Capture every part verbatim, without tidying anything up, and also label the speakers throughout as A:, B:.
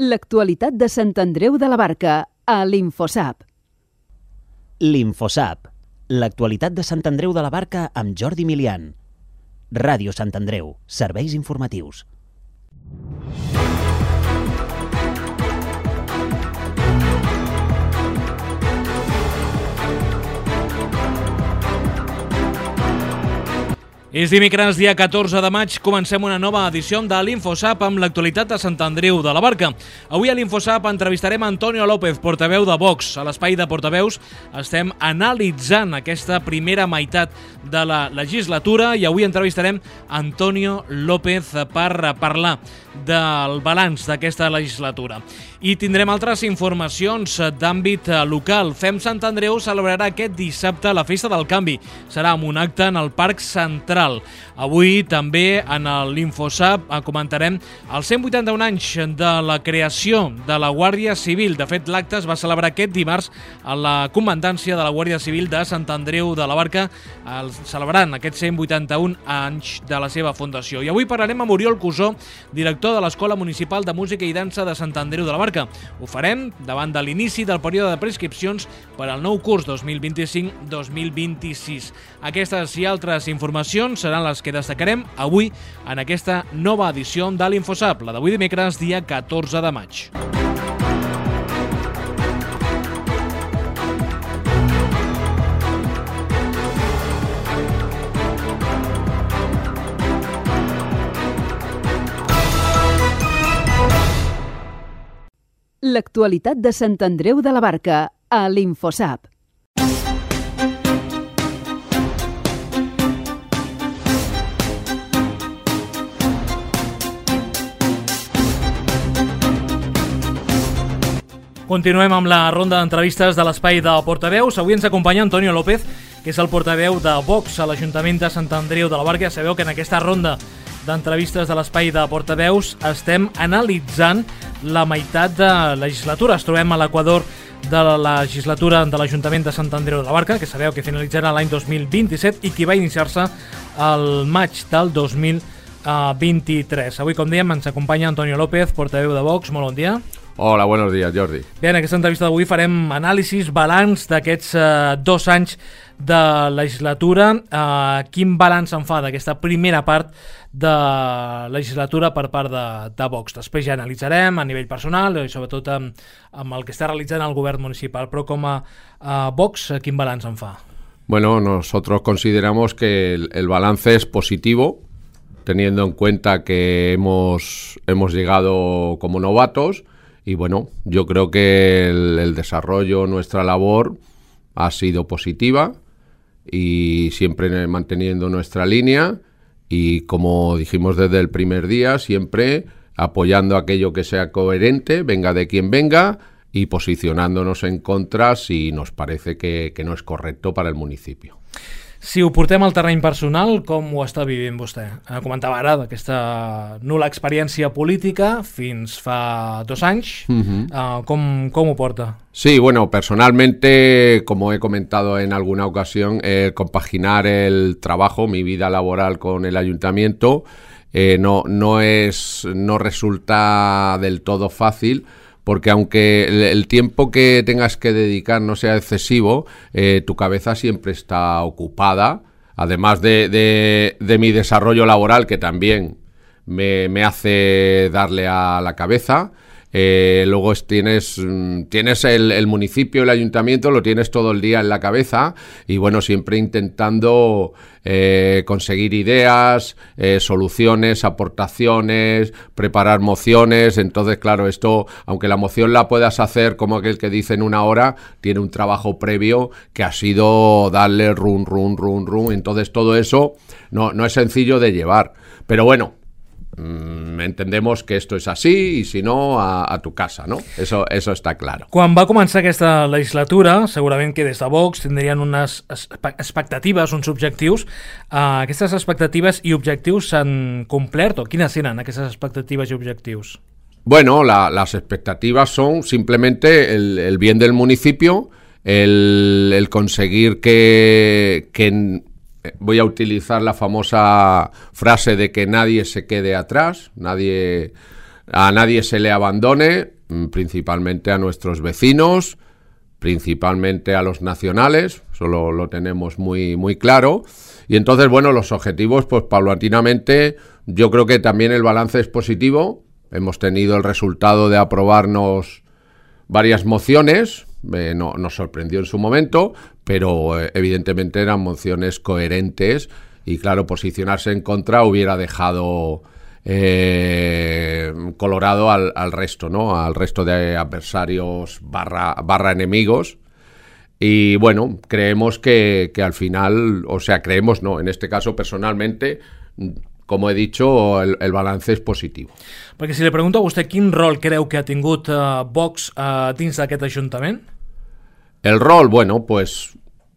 A: L'actualitat de Sant Andreu de la Barca, a l'Infosap.
B: L'Infosap, l'actualitat de Sant Andreu de la Barca amb Jordi Milian. Ràdio Sant Andreu, serveis informatius.
C: És dimecres, dia catorze de maig, comencem una nova edició de l'Infosap amb l'actualitat de Sant Andreu de la Barca. Avui a l'Infosap entrevistarem Antonio López, portaveu de Vox. A l'espai de portaveus estem analitzant aquesta primera meitat de la legislatura i avui entrevistarem Antonio López per parlar del balanç d'aquesta legislatura. I tindrem altres informacions d'àmbit local. Fem Sant Andreu celebrarà aquest dissabte la Festa del Canvi. Serà amb un acte en el Parc Central. Avui també en l'Infosap comentarem els cent vuitanta-un anys de la creació de la Guàrdia Civil. De fet, l'acte es va celebrar aquest dimarts a la comandància de la Guàrdia Civil de Sant Andreu de la Barca, celebrant aquests cent vuitanta-un anys de la seva fundació. I avui parlarem amb Oriol Cusó, director de l'Escola Municipal de Música i Dansa de Sant Andreu de la Barca. Ho farem davant de l'inici del període de prescripcions per al nou curs dos mil vint-i-cinc dos mil vint-i-sis. Aquestes i altres informacions seran les que destacarem avui en aquesta nova edició de l'Infosap, la d'avui dimecres, dia catorze de maig.
A: L'actualitat de Sant Andreu de la Barca, a l'Infosap.
C: Continuem amb la ronda d'entrevistes de l'espai de portaveus. Avui ens acompanya Antonio López, que és el portaveu de Vox a l'Ajuntament de Sant Andreu de la Barca. Ja sabeu que en aquesta ronda d'entrevistes de l'espai de portaveus estem analitzant la meitat de legislatura. Es trobem a l'equador de la legislatura de l'Ajuntament de Sant Andreu de la Barca, que sabeu que finalitzarà l'any dos mil vint-i-set i que va iniciar-se al maig del dos mil vint-i-tres. Avui, com dèiem, ens acompanya Antonio López, portaveu de Vox. Molt bon dia.
D: Hola, buenos días, Jordi.
C: Bé, en aquesta entrevista d'avui farem anàlisis, balanç d'aquests eh, dos anys de legislatura. Eh, quin balanç en fa d'aquesta primera part de legislatura per part de, de Vox? Després ja analitzarem a nivell personal i sobretot amb, amb el que està realitzant el govern municipal. Però com a, a Vox, quin balanç en fa?
D: Bueno, nosotros consideramos que el, el balance es positivo, teniendo en cuenta que hemos, hemos llegado como novatos. Y bueno, yo creo que el, el desarrollo, nuestra labor ha sido positiva y siempre manteniendo nuestra línea y, como dijimos desde el primer día, siempre apoyando aquello que sea coherente, venga de quien venga, y posicionándonos en contra si nos parece que, que no es correcto para el municipio.
C: Si ho portem al terreny personal, com ho està vivint vostè? Comentava ara d'aquesta nul·la experiència política fins fa dos anys. Uh-huh. uh, com, com ho porta?
D: Sí, bueno, personalmente, como he comentado en alguna ocasión, eh, compaginar el trabajo, mi vida laboral con el ayuntamiento, eh, no, no, es, no resulta del todo fácil, porque aunque el, el tiempo que tengas que dedicar no sea excesivo, eh, tu cabeza siempre está ocupada, además de, de, de mi desarrollo laboral, que también me, me hace darle a la cabeza. Eh, luego es, tienes, tienes el, el municipio, el ayuntamiento, lo tienes todo el día en la cabeza y bueno, siempre intentando eh, conseguir ideas, eh, soluciones, aportaciones, preparar mociones. Entonces, claro, esto, aunque la moción la puedas hacer como aquel que dice en una hora, tiene un trabajo previo que ha sido darle run, run, run, run. Entonces todo eso no, no es sencillo de llevar, pero bueno, entendemos que esto es así y si no, a, a tu casa, ¿no? Eso, eso está claro.
C: Quan va començar aquesta legislatura, segurament que des de Vox tindrien unes expectatives, uns objectius. Uh, aquestes expectatives i objectius s'han complert o quines eren aquestes expectatives i objectius?
D: Bueno, la, las expectativas son simplemente el, el bien del municipio, el, el conseguir que... que voy a utilizar la famosa frase de que nadie se quede atrás, nadie a nadie se le abandone, principalmente a nuestros vecinos, principalmente a los nacionales, eso lo, lo tenemos muy, muy claro. Y entonces, bueno, los objetivos, pues paulatinamente, yo creo que también el balance es positivo. Hemos tenido el resultado de aprobarnos varias mociones, eh, no, nos sorprendió en su momento, pero eh, evidentemente eran mociones coherentes y claro, posicionarse en contra hubiera dejado eh, colorado al, al resto, ¿no? Al resto de adversarios barra, barra enemigos. Y bueno, creemos que, que al final, o sea, creemos no, en este caso personalmente, como he dicho, el, el balance és positiu.
C: Perquè si li pregunto a vostè quin rol creu que ha tingut uh, Vox uh, dins d'aquest Ajuntament?
D: El rol, bueno, pues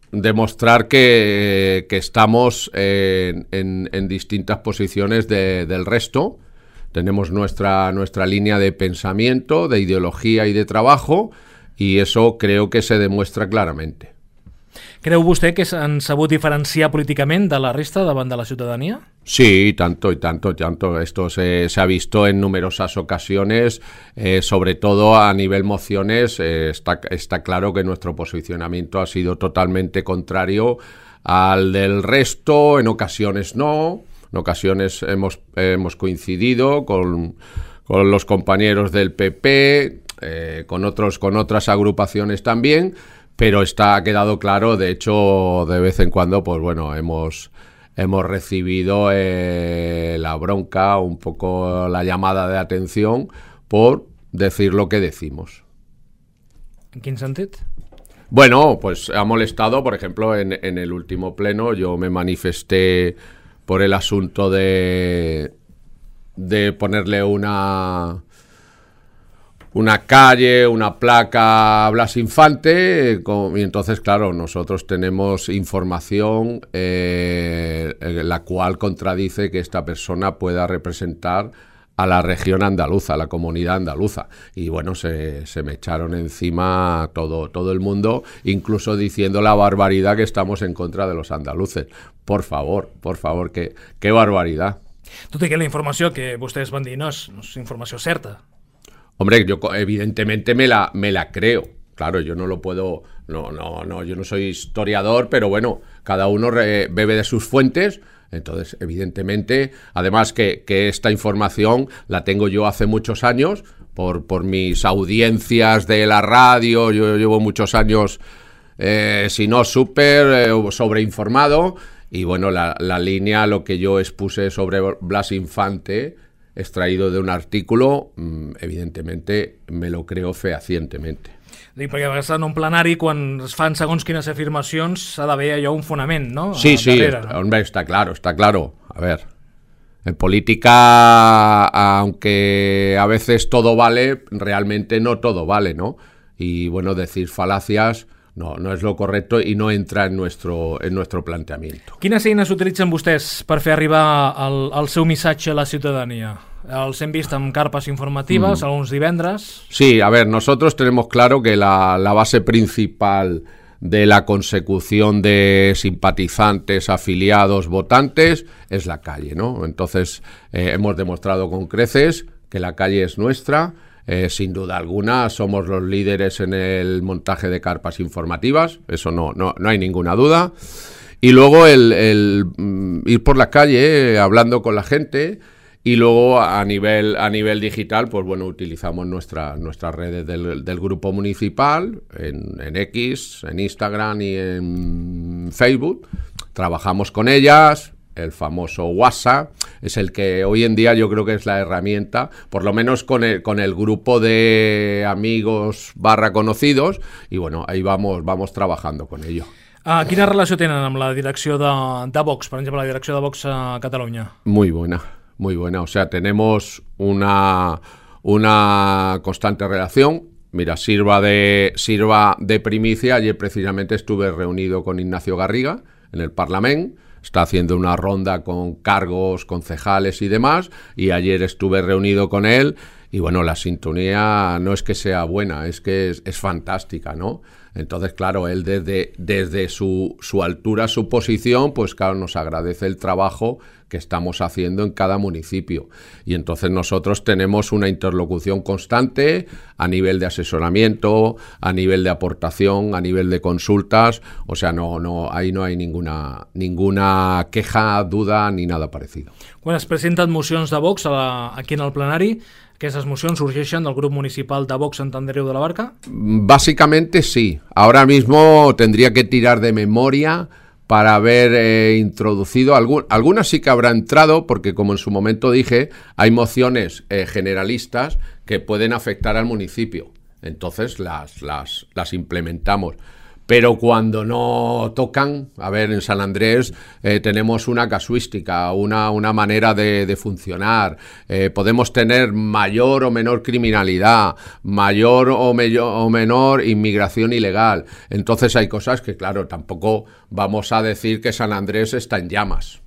D: demostrar que, que estamos en, en, en distintas posiciones de, del resto. Tenemos nuestra, nuestra línea de pensamiento, de ideología y de trabajo, y eso creo que se demuestra claramente.
C: Creu vostè que s'han sabut diferenciar políticament de la resta davant de la ciutadania?
D: Sí, tanto y tanto y tanto. Esto se, se ha visto en numerosas ocasiones, eh, sobre todo a nivel mociones. Eh, está, está claro que nuestro posicionamiento ha sido totalmente contrario al del resto, en ocasiones no, en ocasiones hemos, hemos coincidido con, con los compañeros del P P, eh, con, otros, con otras agrupaciones también, pero está ha quedado claro, de hecho, de vez en cuando, pues bueno, hemos... Hemos recibido eh, la bronca, un poco la llamada de atención por decir lo que decimos.
C: En quin sentit?
D: Bueno, pues ha molestado, por ejemplo, en, en el último pleno yo me manifesté por el asunto de, de ponerle una... una calle, una placa a Blas Infante, y entonces, claro, nosotros tenemos información eh, la cual contradice que esta persona pueda representar a la región andaluza, a la comunidad andaluza. Y bueno, se, se me echaron encima todo, todo el mundo, incluso diciendo la barbaridad que estamos en contra de los andaluces. Por favor, por favor, qué, qué barbaridad.
C: Tot i que la informació que vostès van dir no és, no és informació certa.
D: Hombre, yo evidentemente me la, me la creo. Claro, yo no lo puedo... No, no, no, yo no soy historiador, pero bueno, cada uno re, bebe de sus fuentes. Entonces, evidentemente, además que, que esta información la tengo yo hace muchos años, por, por mis audiencias de la radio. Yo llevo muchos años, eh, si no súper eh, sobreinformado. Y bueno, la, la línea, lo que yo expuse sobre Blas Infante... extraído de un artículo, evidentemente me lo creo fehacientemente.
C: Dic, perquè a vegades en un plenari, quan es fan segons quines afirmacions, s'ha d'haver allò un fonament, ¿no?
D: Sí, sí, darrere, ¿no? Hombre, está claro, está claro. A ver, en política, aunque a veces todo vale, realmente no todo vale, ¿no? Y bueno, decir falacias... No, no és lo correcto i no entra en nuestro, en nuestro planteamiento.
C: Quines eines utilitzen vostès per fer arribar el, el seu missatge a la ciutadania? Els hem vist amb carpes informatives, mm. alguns divendres.
D: Sí, a ver, nosotros tenemos claro que la, la base principal de la consecución de simpatizantes, afiliados, votantes, es la calle, ¿no? Entonces, eh, hemos demostrado con creces que la calle es nuestra. Eh, sin duda alguna somos los líderes en el montaje de carpas informativas, eso no, no, no hay ninguna duda. Y luego el, el mm, ir por la calle eh, hablando con la gente, y luego a nivel, a nivel digital, pues bueno, utilizamos nuestra, nuestras redes del, del grupo municipal, en, en X, en Instagram y en Facebook. Trabajamos con ellas. El famoso WhatsApp es el que hoy en día yo creo que es la herramienta, por lo menos con el, con el grupo de amigos barra conocidos, y bueno, ahí vamos, vamos trabajando con ello.
C: Uh, quina relació tenen amb la direcció de, de Vox, per exemple, la direcció de Vox a Catalunya?
D: Muy buena, muy buena. O sea, tenemos una, una constante relación. Mira, sirva de, sirva de primicia. Ayer precisamente estuve reunido con Ignacio Garriga en el Parlamento. Está haciendo una ronda con cargos, concejales y demás, y ayer estuve reunido con él y bueno, la sintonía no es que sea buena, es que es, es fantástica, ¿no? Entonces, claro, él desde, desde su, su altura, su posición, pues claro, nos agradece el trabajo que estamos haciendo en cada municipio. Y entonces nosotros tenemos una interlocución constante a nivel de asesoramiento, a nivel de aportación, a nivel de consultas. O sea, no, no, ahí no hay ninguna, ninguna queja, duda ni nada parecido.
C: Quan es presenten mocions de Vox a la, aquí en el plenari, ¿aquestes mocions surgeixen del grup municipal de Vox Sant Andreu de la Barca?
D: Básicamente sí. Ahora mismo tendría que tirar de memoria para haber eh, introducido, algún, algunas sí que habrá entrado, porque como en su momento dije, hay mociones eh, generalistas que pueden afectar al municipio. Entonces las, las, las implementamos. Pero cuando no tocan, a ver, en San Andrés eh, tenemos una casuística, una, una manera de, de funcionar, eh, podemos tener mayor o menor criminalidad, mayor o, mello, o menor inmigración ilegal. Entonces hay cosas que, claro, tampoco vamos a decir que San Andrés está en llamas,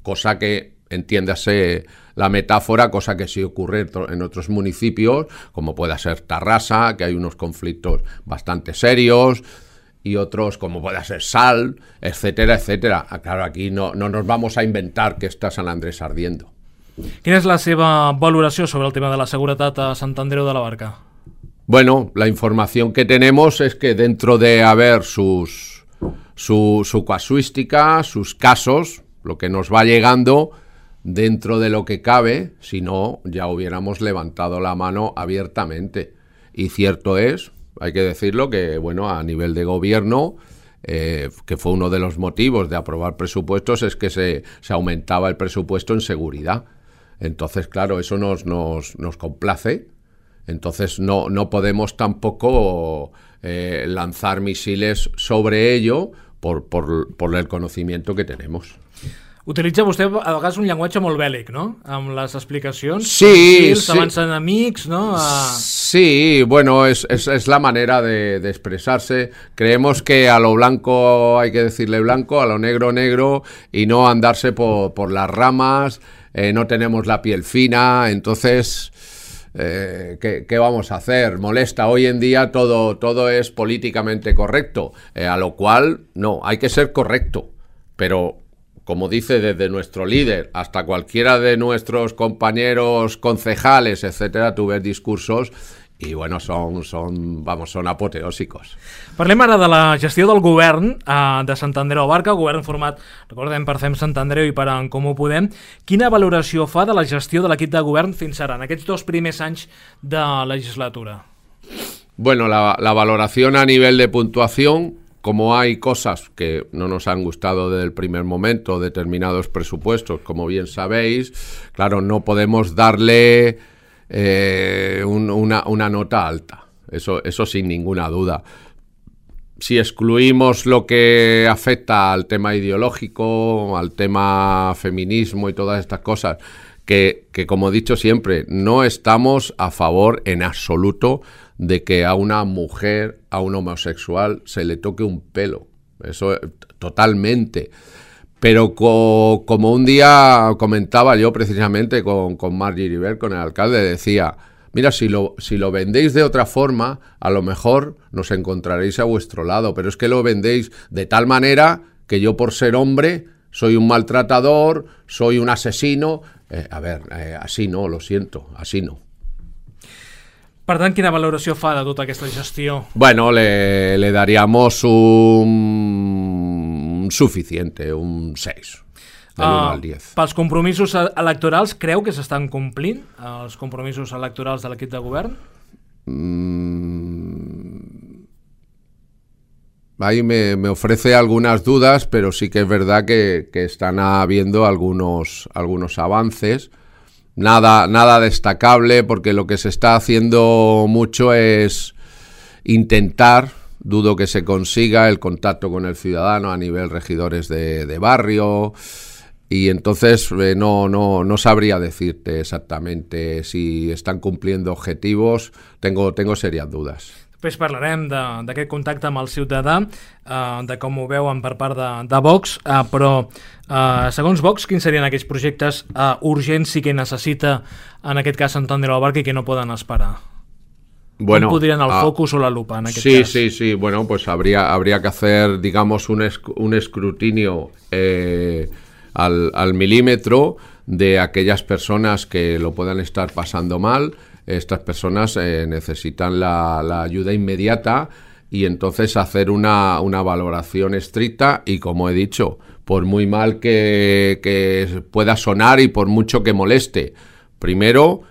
D: cosa que, entiéndase la metáfora, cosa que sí ocurre en otros municipios, como pueda ser Tarrasa, que hay unos conflictos bastante serios, y otros como pueda ser Sal, etcétera, etcétera. Claro, aquí no, no nos vamos a inventar que está San Andrés ardiendo.
C: Quina és la seva valoració sobre el tema de la seguretat a Sant Andreu de la Barca?
D: Bueno, la información que tenemos es que dentro de haber sus, su, su casuística, sus casos, lo que nos va llegando, dentro de lo que cabe, si no, ya hubiéramos levantado la mano abiertamente. Y cierto es, hay que decirlo, que bueno, a nivel de gobierno, eh, que fue uno de los motivos de aprobar presupuestos, es que se, se aumentaba el presupuesto en seguridad. Entonces, claro, eso nos, nos, nos complace. Entonces no, no podemos tampoco eh, lanzar misiles sobre ello por, por, por el conocimiento que tenemos.
C: Utilitza vostè a vegades un llenguatge molt bèl·lic, no? Amb les explicacions.
D: Sí,
C: sí. Abans enemics, ¿no? A...
D: Sí, bueno, es, es, es la manera de, de expresarse. Creemos que a lo blanco hay que decirle blanco, a lo negro negro, y no andarse por, por las ramas. Eh, no tenemos la piel fina, entonces... Eh, ¿qué, ¿qué vamos a hacer? Molesta, hoy en día todo, todo es políticamente correcto, eh, a lo cual no, hay que ser correcto, pero como dice desde nuestro líder hasta cualquiera de nuestros compañeros concejales, etcétera, tú ves discursos i bueno, són, són, vamos, són apoteòsicos.
C: Parlem ara de la gestió del govern eh, de Sant Andreu de la Barca, govern format, recordem, per Fem Sant Andreu i per En Comú Podem. Quina valoració fa de la gestió de l'equip de govern fins ara, en aquests dos primers anys de legislatura?
D: Bueno, la, la valoración a nivel de puntuación, como hay cosas que no nos han gustado desde el primer momento, determinados presupuestos, como bien sabéis, claro, no podemos darle eh, un, una, una nota alta, eso, eso sin ninguna duda. Si excluimos lo que afecta al tema ideológico, al tema feminismo y todas estas cosas, que, que como he dicho siempre, no estamos a favor en absoluto de que a una mujer, a un homosexual, se le toque un pelo. Eso totalmente. Pero co, como un día comentaba yo precisamente con, con Marc Giribert, con el alcalde, decía, mira, si lo, si lo vendéis de otra forma, a lo mejor nos encontraréis a vuestro lado, pero es que lo vendéis de tal manera que yo por ser hombre soy un maltratador, soy un asesino. Eh, a ver, eh, así no, lo siento, así no.
C: Per tant, quina valoració fa de tota aquesta gestió?
D: Bueno, le, le daríamos un suficiente, un seis, del uno
C: uh,
D: al diez.
C: Pels compromisos electorals, creu que s'estan complint els compromisos electorals de l'equip de govern?
D: Mm, ahí me, me ofrece algunas dudas, pero sí que es verdad que, que están habiendo algunos, algunos avances. Nada, nada destacable, porque lo que se está haciendo mucho es intentar, dudo que se consiga, el contacto con el ciudadano a nivel regidores de, de barrio, y entonces eh, no, no, no sabría decirte exactamente si están cumpliendo objetivos, tengo, tengo serias dudas.
C: Després parlarem d'aquest contacte amb el ciutadà, eh, de com ho veuen per part de, de Vox, eh, però eh, segons Vox, quins serien aquells projectes eh, urgents i que necessita, en aquest cas, Sant Andreu de la Barca i que no poden esperar?
D: Bueno,
C: ¿Cómo podrían al
D: ah,
C: focus o la lupa en aquel
D: sí,
C: caso?
D: Sí, sí, bueno, pues habría, habría que hacer, digamos, un, esc un escrutinio eh, al, al milímetro de aquellas personas que lo puedan estar pasando mal. Estas personas eh, necesitan la, la ayuda inmediata y entonces hacer una, una valoración estricta y, como he dicho, por muy mal que, que pueda sonar y por mucho que moleste, primero,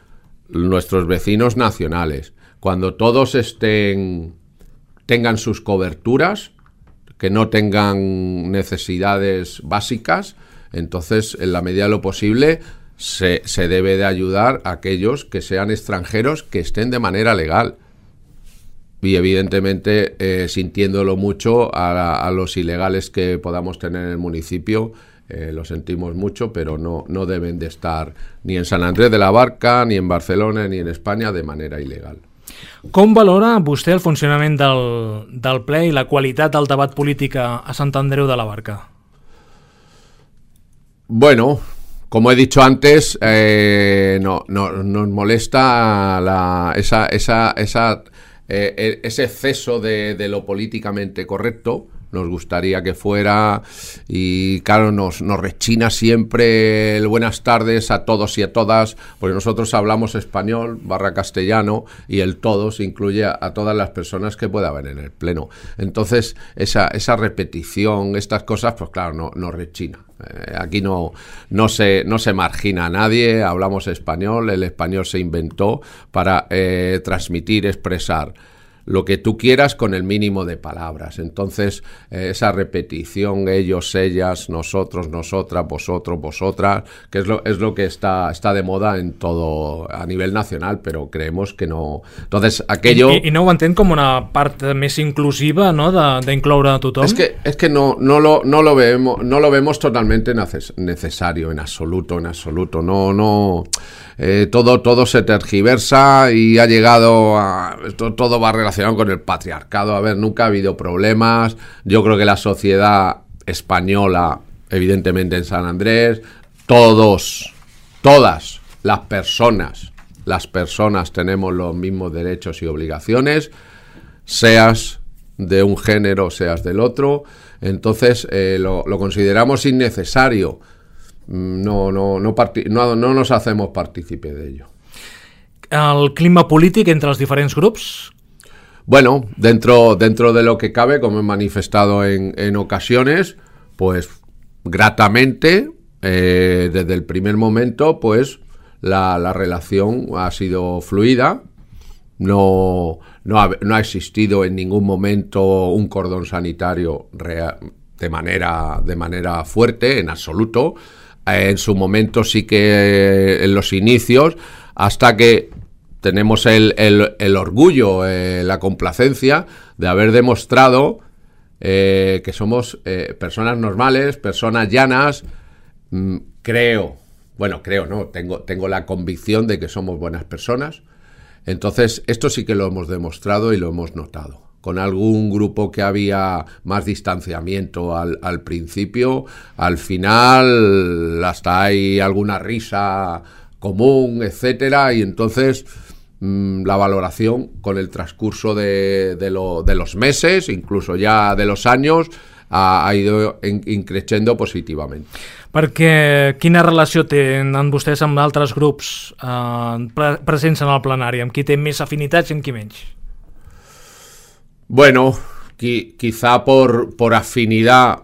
D: nuestros vecinos nacionales. Cuando todos estén, tengan sus coberturas, que no tengan necesidades básicas, entonces, en la medida de lo posible, se, se debe de ayudar a aquellos que sean extranjeros que estén de manera legal. Y evidentemente, eh, sintiéndolo mucho, a, a los ilegales que podamos tener en el municipio, eh, lo sentimos mucho, pero no, no deben de estar ni en Sant Andreu de la Barca, ni en Barcelona, ni en España de manera ilegal.
C: Com valora vostè el funcionament del, del ple i la qualitat del debat polític a, a Sant Andreu de la Barca?
D: Bueno, como he dicho antes, eh, no, no, nos molesta la, esa, esa, esa, eh, ese exceso de, de lo políticamente correcto. Nos gustaría que fuera, y claro, nos, nos rechina siempre el buenas tardes a todos y a todas, porque nosotros hablamos español barra castellano y el todos incluye a, a todas las personas que pueda haber en el pleno. Entonces, esa, esa repetición, estas cosas, pues claro, no, nos rechina. Eh, aquí no, no, se, no se margina a nadie, hablamos español, el español se inventó para eh, transmitir, expresar lo que tú quieras con el mínimo de palabras. Entonces, eh, esa repetición, ellos, ellas, nosotros, nosotras, vosotros, vosotras, que es lo, es lo que está, está de moda en todo, a nivel nacional, pero creemos que no. Entonces, aquello...
C: I, i no ho entén com una part més inclusiva, no?, d'incloure a tothom?
D: Es que, es que no, no, lo, no, lo vemos, no lo vemos totalmente necesario, en absoluto, en absoluto. No, no... Eh, todo, todo se tergiversa y ha llegado a... Todo, todo va relacionado con el patriarcado. A ver, nunca ha habido problemas. Yo creo que la sociedad española, evidentemente en Sant Andrés, todos, todas las personas, las personas tenemos los mismos derechos y obligaciones, seas de un género, seas del otro. Entonces, eh, lo, lo consideramos innecesario. No, no, no, no, no nos hacemos partícipe de ello.
C: El clima polític entre els diferents grups?
D: Bueno, dentro, dentro de lo que cabe, como he manifestado en, en ocasiones, pues gratamente, eh, desde el primer momento, pues la, la relación ha sido fluida. No, no, ha, no ha existido en ningún momento un cordón sanitario real, de manera, de manera fuerte, en absoluto. En su momento sí que en los inicios, hasta que tenemos el, el, el orgullo, eh, la complacencia de haber demostrado eh, que somos eh, personas normales, personas llanas, mmm, creo, bueno, creo, no, tengo, tengo la convicción de que somos buenas personas. Entonces, esto sí que lo hemos demostrado y lo hemos notado. Con algún grupo que había más distanciamiento al, al principio, al final hasta hay alguna risa común, etcétera, y entonces mmm, la valoración con el transcurso de, de, lo, de los meses, incluso ya de los años, ha, ha ido increciendo positivamente.
C: Perquè quina relació tenen vostès amb altres grups eh, pre presents en el plenari? Amb qui té més afinitats i amb qui menys?
D: Bueno, qui, quizá por, por afinidad,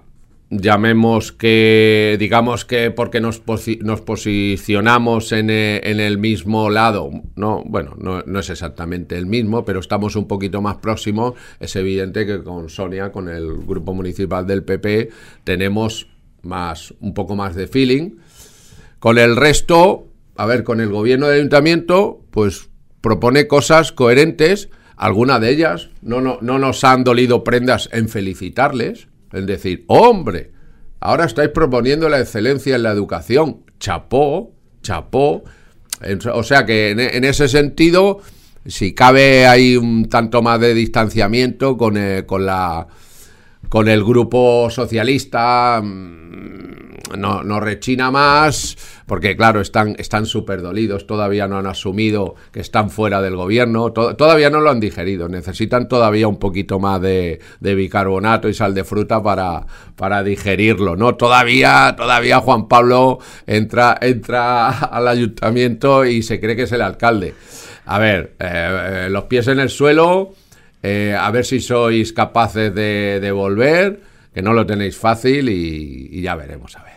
D: llamemos que, digamos que porque nos, posi nos posicionamos en el, en el mismo lado, no, bueno, no, no es exactamente el mismo, pero estamos un poquito más próximos. Es evidente que con Sonia, con el grupo municipal del P P, tenemos más, un poco más de feeling. Con el resto, a ver, con el gobierno del ayuntamiento, pues propone cosas coherentes. Alguna de ellas no, no, no nos han dolido prendas en felicitarles, en decir, hombre, ahora estáis proponiendo la excelencia en la educación, chapó, chapó. O sea que en, en ese sentido si cabe hay un tanto más de distanciamiento con el, con la con el grupo socialista, no, no rechina más, porque claro, están están súper dolidos, todavía no han asumido que están fuera del gobierno, to- todavía no lo han digerido, necesitan todavía un poquito más de, de bicarbonato y sal de fruta para, para digerirlo, ¿no? Todavía, todavía Juan Pablo entra, entra al ayuntamiento y se cree que es el alcalde. A ver, eh, eh, los pies en el suelo, eh, a ver si sois capaces de, de volver, que no lo tenéis fácil y, y ya veremos, a ver.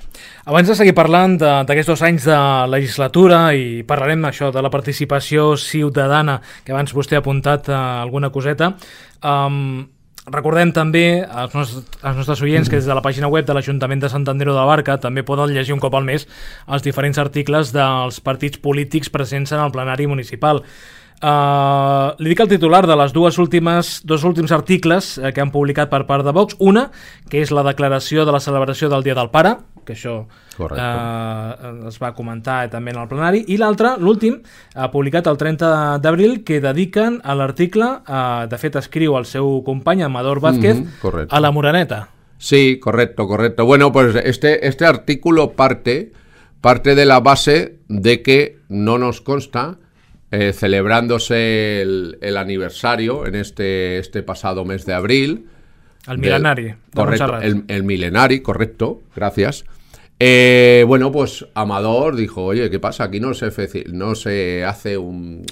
C: Abans de seguir parlant d'aquests dos anys de legislatura i parlarem això de la participació ciutadana, que abans vostè ha apuntat uh, alguna coseta, um, recordem també als nostres, als nostres oients que des de la pàgina web de l'Ajuntament de Sant Andreu de la Barca també poden llegir un cop al mes els diferents articles dels partits polítics presents en el plenari municipal. Uh, li dic el titular de les dues últimes, dos últims articles eh, que han publicat per part de Vox. Una, que és la declaració de la celebració del Dia del Pare, que això eh, es va comentar també en el plenari, i l'altre, l'últim, ha publicat el trenta d'abril, que dediquen a l'article, eh, de fet escriu el seu company Amador Vázquez, mm-hmm, a la Moreneta.
D: Sí, correcto, correcto. Bueno, pues este, este artículo parte, parte de la base de que no nos consta, Eh, celebrándose el, el aniversario en este, este pasado mes de abril.
C: El milenari.
D: Del, correcto, el, el milenari, correcto, gracias. Eh, bueno, pues Amador dijo, oye, ¿qué pasa? Aquí no se, no se hace un,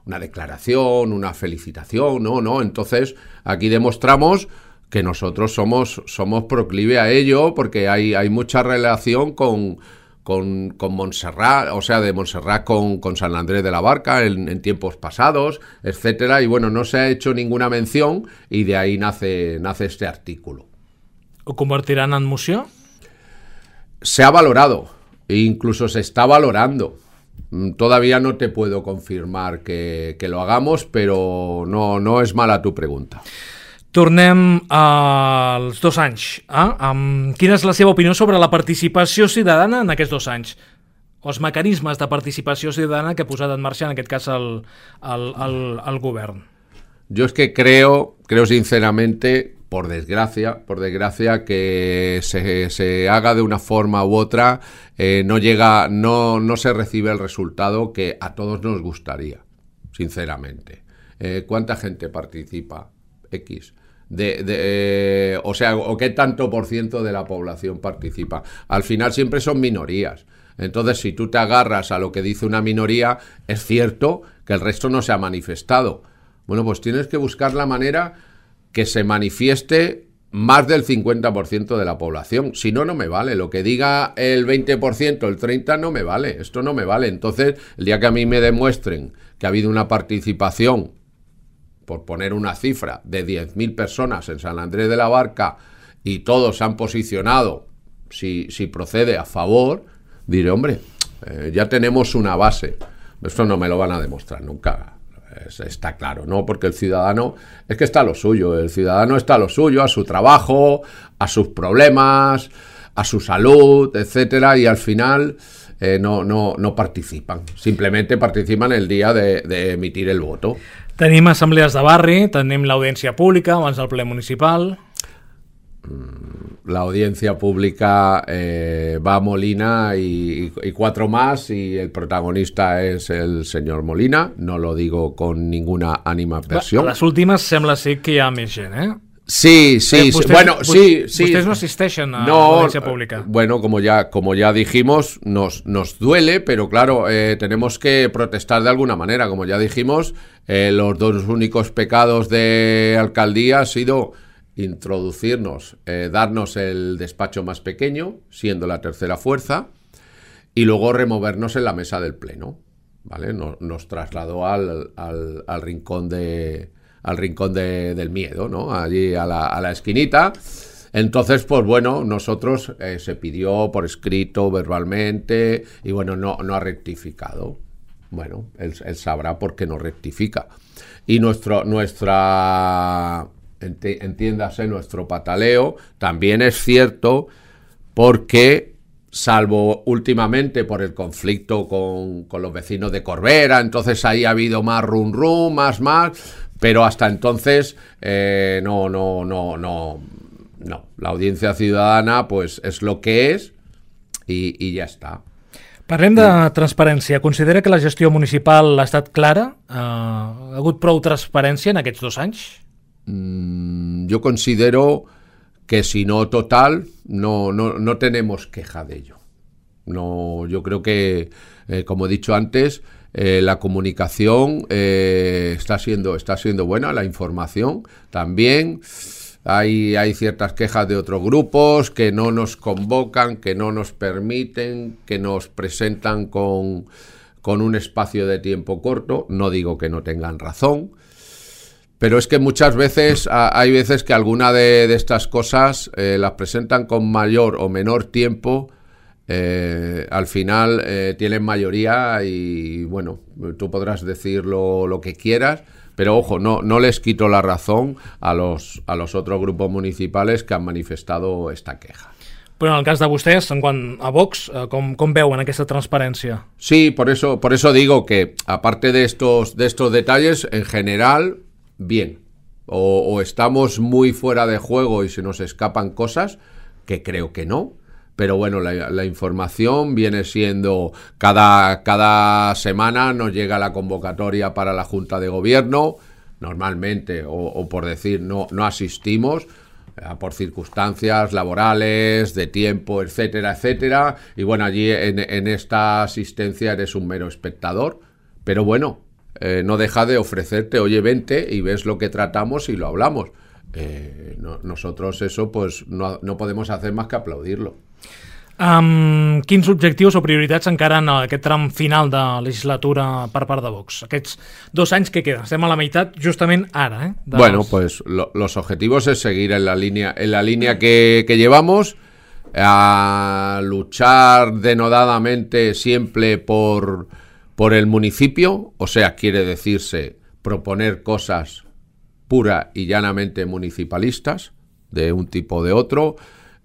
D: una declaración, una felicitación, no, no. Entonces, aquí demostramos que nosotros somos, somos proclive a ello porque hay, hay mucha relación con... Con, con Montserrat, o sea, de Montserrat con, con San Andrés de la Barca en, en tiempos pasados, etcétera, y bueno, no se ha hecho ninguna mención y de ahí nace, nace este artículo.
C: ¿Ho convertirán en moció?
D: Se ha valorado, e incluso se está valorando. Todavía no te puedo confirmar que, que lo hagamos, pero no, no es mala tu pregunta.
C: Tornem als dos anys. Eh? Um, quina és la seva opinió sobre la participació ciutadana en aquests dos anys? Els mecanismes de participació ciutadana que ha posat en marxa, en aquest cas, el, el, el, el govern.
D: Yo es que creo, creo sinceramente, por desgracia, por desgracia, que se, se haga de una forma u otra, eh, no llega, no, no se recibe el resultado que a todos nos gustaría, sinceramente. Eh, ¿Cuánta gente participa? X. De, de, eh, o sea, o qué tanto por ciento de la población participa. Al final siempre son minorías. Entonces, si tú te agarras a lo que dice una minoría, es cierto que el resto no se ha manifestado. Bueno, pues tienes que buscar la manera que se manifieste más del cincuenta por ciento de la población. Si no, no me vale. Lo que diga el veinte por ciento, el treinta por ciento, no me vale. Esto no me vale. Entonces, el día que a mí me demuestren que ha habido una participación, por poner una cifra, de diez mil personas en San Andrés de la Barca y todos se han posicionado, si, si procede, a favor, diré, hombre, eh, ya tenemos una base. Esto no me lo van a demostrar nunca, es, está claro, ¿no? Porque el ciudadano, es que está a lo suyo, el ciudadano está a lo suyo, a su trabajo, a sus problemas, a su salud, etcétera, y al final eh, no, no, no participan, simplemente participan el día de, de emitir el voto.
C: Tenim assemblees de barri, tenim l'audiència pública abans del ple municipal.
D: La audiencia pública eh, va a Molina y, y cuatro más y el protagonista es el señor Molina, no lo digo con ninguna animadversió.
C: A les últimes sembla ser que hi ha més gent, eh?
D: Sí, sí,
C: eh, vostès,
D: bueno, sí, sí.
C: Ustedes no asisten a
D: no,
C: la audiencia pública.
D: Bueno, como ya, como ya dijimos, nos, nos duele, pero claro, eh, tenemos que protestar de alguna manera. Como ya dijimos, eh, los dos únicos pecados de alcaldía ha sido introducirnos, eh, darnos el despacho más pequeño, siendo la tercera fuerza, y luego removernos en la mesa del pleno, ¿vale? Nos, nos trasladó al, al, al rincón de... al rincón de, del miedo, ¿no? Allí a la, a la esquinita. Entonces, pues bueno, nosotros eh, se pidió por escrito, verbalmente, y bueno, no, no ha rectificado. Bueno, él, él sabrá por qué no rectifica. Y nuestro, nuestra, entiéndase, nuestro pataleo también es cierto porque salvo últimamente por el conflicto con, con los vecinos de Corbera, entonces ahí ha habido más rum rum, más más, pero hasta entonces eh, no, no, no, no, no. La audiencia ciudadana pues es lo que es i, i ja està.
C: Parlem de transparència. Considera que la gestió municipal ha estat clara? Uh, ha hagut prou transparència en aquests dos anys?
D: Mm, yo considero que si no total, no, no, no tenemos queja de ello. No, yo creo que, eh, como he dicho antes, eh, la comunicación eh, está siendo, está siendo buena, la información también. Hay, hay ciertas quejas de otros grupos que no nos convocan, que no nos permiten, que nos presentan con, con un espacio de tiempo corto. No digo que no tengan razón, pero es que muchas veces hay veces que alguna de, de estas cosas eh, las presentan con mayor o menor tiempo. Eh, al final eh, tienen mayoría y bueno, tú podrás decir lo, lo que quieras, pero ojo, no, no les quito la razón a los, a los otros grupos municipales que han manifestado esta queja.
C: Però en el cas de vostès, en quant a Vox, com, com veuen aquesta transparència?
D: Sí, por eso, por eso digo que aparte de estos, de estos detalles, en general, bien. O, o estamos muy fuera de juego y se nos escapan cosas, que creo que no. Pero bueno, la, la información viene siendo cada, cada semana nos llega la convocatoria para la Junta de Gobierno, normalmente, o, o por decir, no, no asistimos, eh, por circunstancias laborales, de tiempo, etcétera, etcétera. Y bueno, allí en, en esta asistencia eres un mero espectador, pero bueno, eh, no deja de ofrecerte, oye, vente y ves lo que tratamos y lo hablamos. Eh, no, nosotros eso pues no, no podemos hacer más que aplaudirlo.
C: Um, quins objectius o prioritats encara en aquest tram final de legislatura per part de Vox? Aquests dos anys que queden, estem a la meitat justament ara, ¿eh? De
D: bueno,
C: los...
D: pues lo, los objetivos es seguir en la línea, en la línea que, que llevamos, a luchar denodadamente siempre por, por el municipio, o sea, quiere decirse proponer cosas pura y llanamente municipalistas, de un tipo o de otro.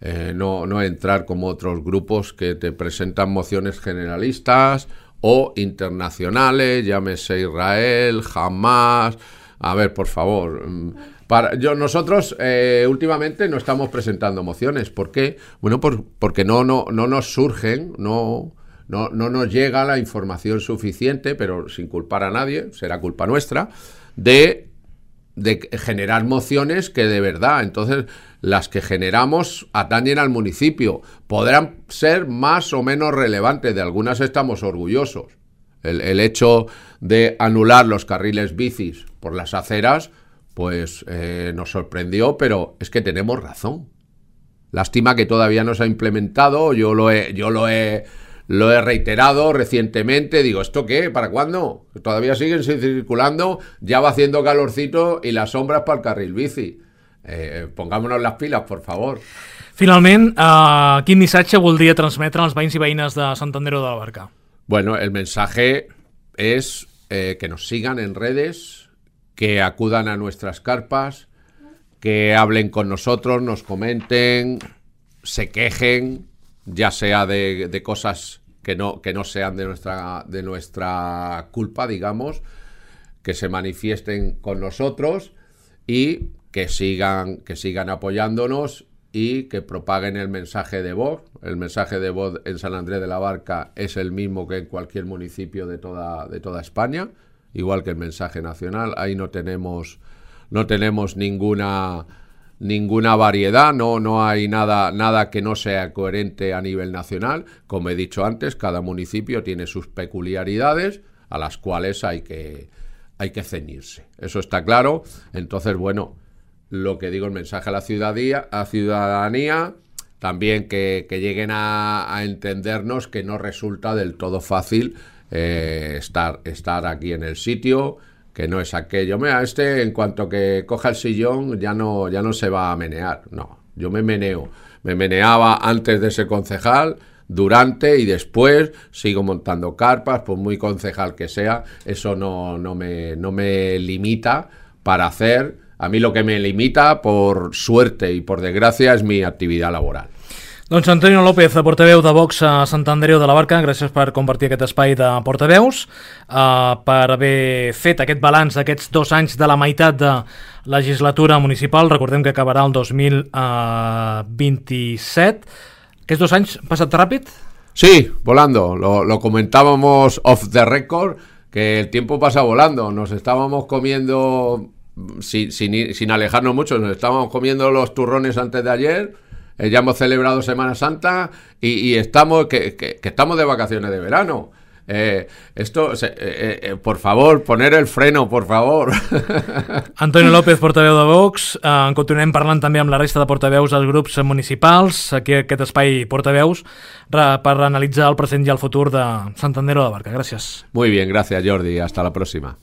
D: Eh, no, no entrar como otros grupos que te presentan mociones generalistas o internacionales, llámese Israel, Hamas. A ver, por favor, para, yo, nosotros eh, últimamente no estamos presentando mociones. ¿Por qué? Bueno, por, porque no, no, no nos surgen, no, no, no nos llega la información suficiente, pero sin culpar a nadie, será culpa nuestra, de... de generar mociones que de verdad, entonces las que generamos atañen al municipio, podrán ser más o menos relevantes, de algunas estamos orgullosos. El, el hecho de anular los carriles bicis por las aceras, pues eh, nos sorprendió, pero es que tenemos razón. Lástima que todavía no se ha implementado, yo lo he, yo lo he Lo he reiterado recientemente, digo, ¿esto qué? ¿Para cuándo? Todavía siguen circulando, ya va haciendo calorcito y las sombras para el carril bici. Eh, pongámonos las pilas, por favor.
C: Finalment, uh, quin missatge voldria transmetre als veïns i veïnes de Sant Andreu de la Barca?
D: Bueno, el mensaje es eh, que nos sigan en redes, que acudan a nuestras carpas, que hablen con nosotros, nos comenten, se quejen, ya sea de, de cosas que no, que no sean de nuestra, de nuestra culpa, digamos, que se manifiesten con nosotros y que sigan, que sigan apoyándonos y que propaguen el mensaje de voz. El mensaje de voz en San Andrés de la Barca es el mismo que en cualquier municipio de toda, de toda España, igual que el mensaje nacional. Ahí no tenemos, no tenemos ninguna... ninguna variedad, no, no hay nada, nada que no sea coherente a nivel nacional. Como he dicho antes, cada municipio tiene sus peculiaridades a las cuales hay que, hay que ceñirse. Eso está claro. Entonces, bueno, lo que digo, el mensaje a la ciudadanía, a ciudadanía también que, que lleguen a, a entendernos que no resulta del todo fácil eh, estar, estar aquí en el sitio, que no es aquello, mira, este en cuanto que coja el sillón ya no, ya no se va a menear. No, yo me meneo. Me meneaba antes de ser concejal, durante y después, sigo montando carpas, por muy concejal que sea, eso no, no, me, no me limita para hacer. A mí lo que me limita, por suerte y por desgracia, es mi actividad laboral.
C: Doncs Antonio López, portaveu de Vox a Sant Andreu de la Barca, gràcies per compartir aquest espai de portaveus, uh, per haver fet aquest balanç d'aquests dos anys de la meitat de legislatura municipal. Recordem que acabarà el dos mil vint-i-set. ¿Aquests dos anys han passat ràpid?
D: Sí, volando. Lo, lo comentábamos off the record, que el tiempo pasa volando. Nos estábamos comiendo, sin, sin, sin alejarnos mucho, nos estábamos comiendo los turrones antes de ayer. Eh, ya hemos celebrado Semana Santa y, y estamos que, que, que estamos de vacaciones de verano. Eh, esto, eh, eh, por favor, poner el freno, por favor.
C: Antonio López, portaveu de Vox. Eh, en continuem parlant també amb la resta de portaveus dels grups municipals. Aquí aquest espai portaveus per analitzar el present i el futur de Sant Andreu de la Barca. Gràcies.
D: Muy bien, gracias Jordi. Hasta la próxima.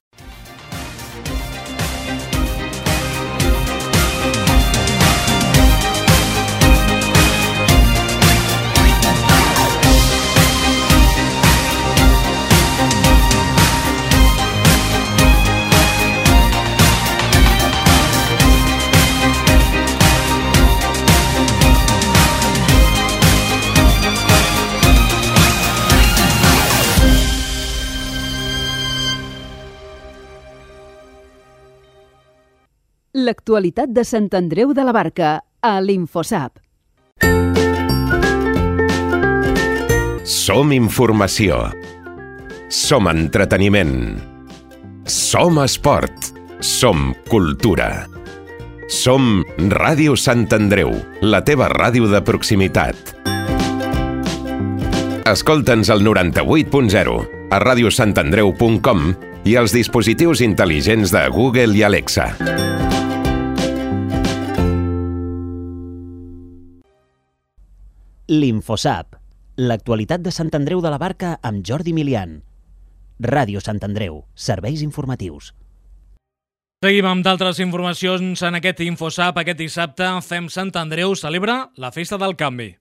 A: L'actualitat de Sant Andreu de la Barca a l'Infosap.
E: Som informació. Som entreteniment. Som esport. Som cultura. Som Ràdio Sant Andreu, la teva ràdio de proximitat. Escolta'ns al noranta-vuit punt zero, a radiosantandreu punt com i als dispositius intel·ligents de Google i Alexa.
B: L'Infosap, l'actualitat de Sant Andreu de la Barca amb Jordi Milian. Ràdio Sant Andreu, serveis informatius.
C: Seguim amb d'altres informacions en aquest Infosap. Aquest dissabte, Fem Sant Andreu celebra la Festa del Canvi.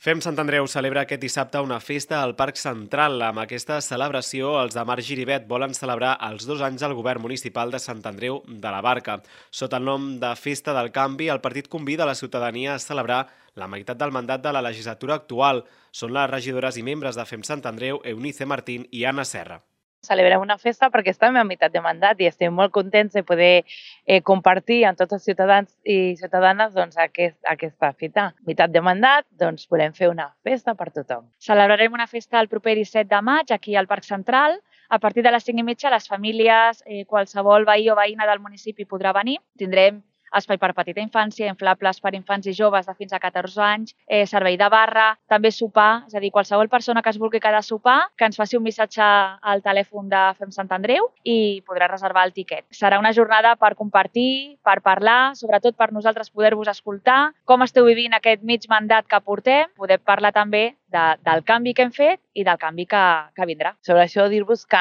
F: Fem Sant Andreu celebra aquest dissabte una festa al Parc Central. Amb aquesta celebració, els de Marc Giribet volen celebrar els dos anys del govern municipal de Sant Andreu de la Barca. Sota el nom de Festa del Canvi, el partit convida la ciutadania a celebrar la meitat del mandat de la legislatura actual. Són les regidores i membres de Fem Sant Andreu, Eunice Martín i Anna Serra.
G: Celebrem una festa perquè estem a meitat de mandat i estem molt contents de poder eh, compartir amb tots els ciutadans i ciutadanes doncs, aquest, aquesta fita. Meitat de mandat, doncs volem fer una festa per tothom.
H: Celebrarem una festa el proper disset de maig aquí al Parc Central. A partir de les cinc i mitja, les famílies, eh, qualsevol veí o veïna del municipi podrà venir. Tindrem espai per petita infància, inflables per infants i joves de fins a catorze anys, eh, servei de barra, també sopar, és a dir, qualsevol persona que es vulgui quedar a sopar, que ens faci un missatge al telèfon de Fem Sant Andreu i podrà reservar el tiquet. Serà una jornada per compartir, per parlar, sobretot per nosaltres poder-vos escoltar, com esteu vivint aquest mig mandat que portem, poder parlar també de, del canvi que hem fet i del canvi que, que vindrà.
G: Sobre això, dir-vos que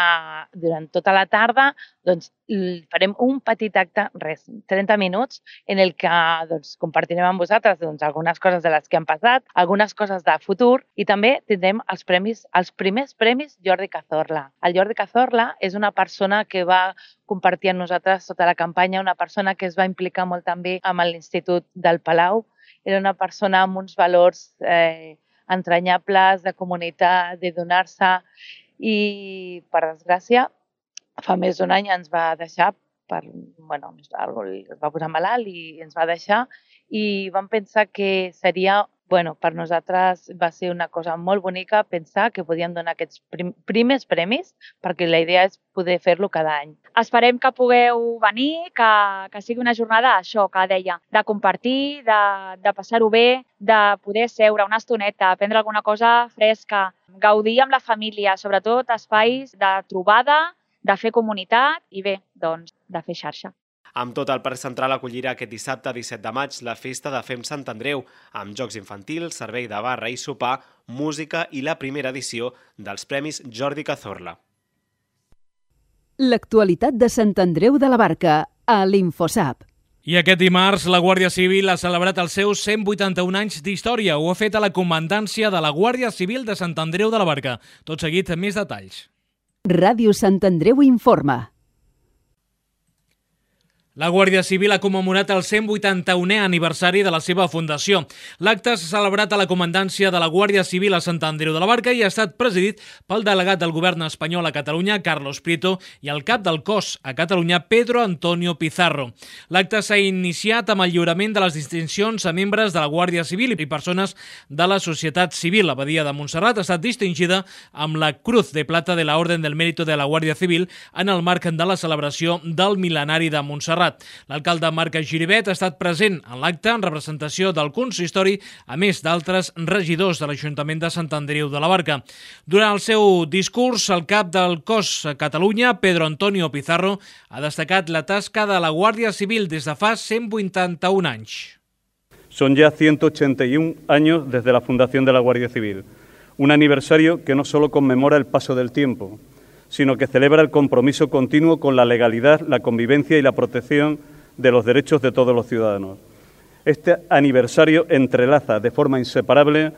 G: durant tota la tarda doncs, farem un petit acte, res, trenta minuts, en el que doncs, compartirem amb vosaltres doncs, algunes coses de les que han passat, algunes coses de futur i també tindrem els premis, els primers premis Jordi Cazorla. El Jordi Cazorla és una persona que va compartir amb nosaltres tota la campanya, una persona que es va implicar molt també amb l'Institut del Palau. Era una persona amb uns valors eh, entranyables, de comunitat, de donar-se i, per desgràcia, fa més d'un any ens va deixar, per, bueno, es va posar malalt i ens va deixar i vam pensar que seria, bueno, per nosaltres va ser una cosa molt bonica pensar que podíem donar aquests prim, primers premis perquè la idea és poder fer-lo cada any.
H: Esperem que pugueu venir, que, que sigui una jornada, això que deia, de compartir, de, de passar-ho bé, de poder seure una estoneta, aprendre alguna cosa fresca, gaudir amb la família, sobretot espais de trobada, de fer comunitat i bé, doncs, de fer xarxa.
F: Amb tot, el Parc Central acollirà aquest dissabte disset de maig la festa de Fem Sant Andreu, amb jocs infantils, servei de barra i sopar, música i la primera edició dels Premis Jordi Cazorla.
A: L'actualitat de Sant Andreu de la Barca a l'Infosap.
C: I aquest dimarts la Guàrdia Civil ha celebrat els seus cent vuitanta-un anys d'història. Ho ha fet a la comandància de la Guàrdia Civil de Sant Andreu de la Barca. Tot seguit, més detalls.
A: Ràdio Sant Andreu informa.
C: La Guàrdia Civil ha commemorat el cent vuitanta-unè aniversari de la seva fundació. L'acte s'ha celebrat a la comandància de la Guàrdia Civil a Sant Andreu de la Barca i ha estat presidit pel delegat del govern espanyol a Catalunya, Carlos Prieto, i el cap del cos a Catalunya, Pedro Antonio Pizarro. L'acte s'ha iniciat amb el lliurament de les distincions a membres de la Guàrdia Civil i persones de la societat civil. La Badia de Montserrat ha estat distingida amb la Cruz de Plata de la Orden del Mérito de la Guàrdia Civil en el marc de la celebració del mil·lenari de Montserrat. L'alcalde Marc Giribet ha estat present en l'acte en representació del consistori, a més d'altres regidors de l'Ajuntament de Sant Andreu de la Barca. Durant el seu discurs, el cap del cos a Catalunya, Pedro Antonio Pizarro, ha destacat la tasca de la Guàrdia Civil des de fa cent vuitanta-un anys.
I: Son ya ciento ochenta y un años desde la fundación de la Guardia Civil, un aniversario que no solo conmemora el paso del tiempo, sino que celebra el compromiso continuo con la legalidad, la convivencia y la protección de los derechos de todos los ciudadanos. Este aniversario entrelaza de forma inseparable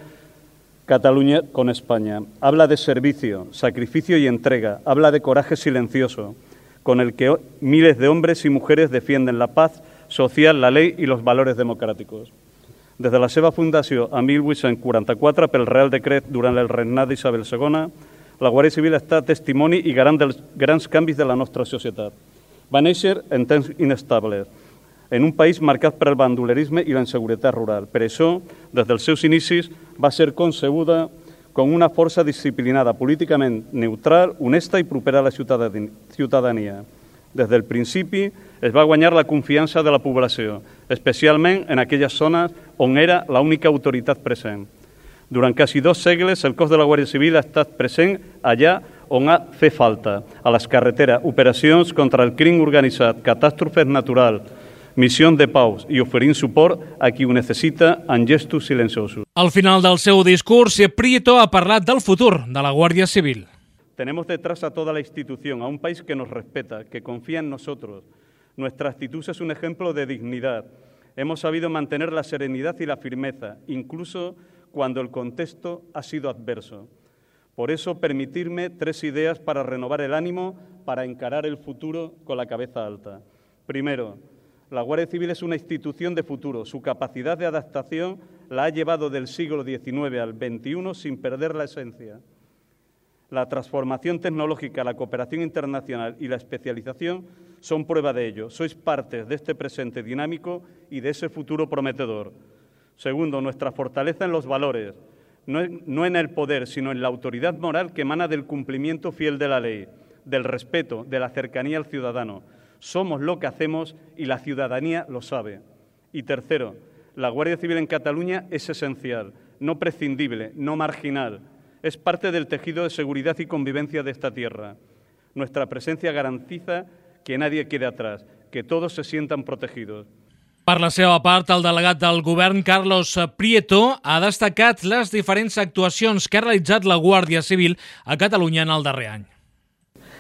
I: Cataluña con España. Habla de servicio, sacrificio y entrega, habla de coraje silencioso, con el que miles de hombres y mujeres defienden la paz social, la ley i los valores democràtics. Des de la seva fundació a mil vuit-cents quaranta-quatre, pel Real Decret durant el regnat d'Isabel segona, la Guàrdia Civil està testimoni i garant dels grans canvis de la nostra societat. Va néixer en temps inestables, en un país marcat per el bandolerisme i la inseguretat rural. Per això, des dels seus inicis, va ser concebuda com una força disciplinada, políticament neutral, honesta i propera a la ciutadania. Des del principi es va guanyar la confiança de la població, especialment en aquelles zones on era l'única autoritat present. Durant quasi dos segles, el cos de la Guàrdia Civil ha estat present allà on ha fet falta, a les carreteres, operacions contra el crim organitzat, catàstrofes naturals, missió de pau i oferint suport a qui ho necessita en gestos silenciosos.
C: Al final del seu discurs, Prieto ha parlat del futur de la Guàrdia Civil.
I: Tenemos detrás a toda la institución, a un país que nos respeta, que confía en nosotros. Nuestra actitud es un ejemplo de dignidad. Hemos sabido mantener la serenidad y la firmeza, incluso cuando el contexto ha sido adverso. Por eso, permitirme tres ideas para renovar el ánimo, para encarar el futuro con la cabeza alta. Primero, la Guardia Civil es una institución de futuro. Su capacidad de adaptación la ha llevado del siglo diecinueve al veintiuno sin perder la esencia. La transformación tecnológica, la cooperación internacional y la especialización son prueba de ello. Sois parte de este presente dinámico y de ese futuro prometedor. Segundo, nuestra fortaleza en los valores, no en el poder, sino en la autoridad moral que emana del cumplimiento fiel de la ley, del respeto, de la cercanía al ciudadano. Somos lo que hacemos y la ciudadanía lo sabe. Y tercero, la Guardia Civil en Cataluña es esencial, no prescindible, no marginal. Es parte del tejido de seguridad y convivencia de esta tierra. Nuestra presencia garantiza que nadie quede atrás, que todos se sientan protegidos.
C: Per la seva part, el delegat del govern, Carlos Prieto, ha destacat les diferents actuacions que ha realitzat la Guàrdia Civil a Catalunya en el darrer any.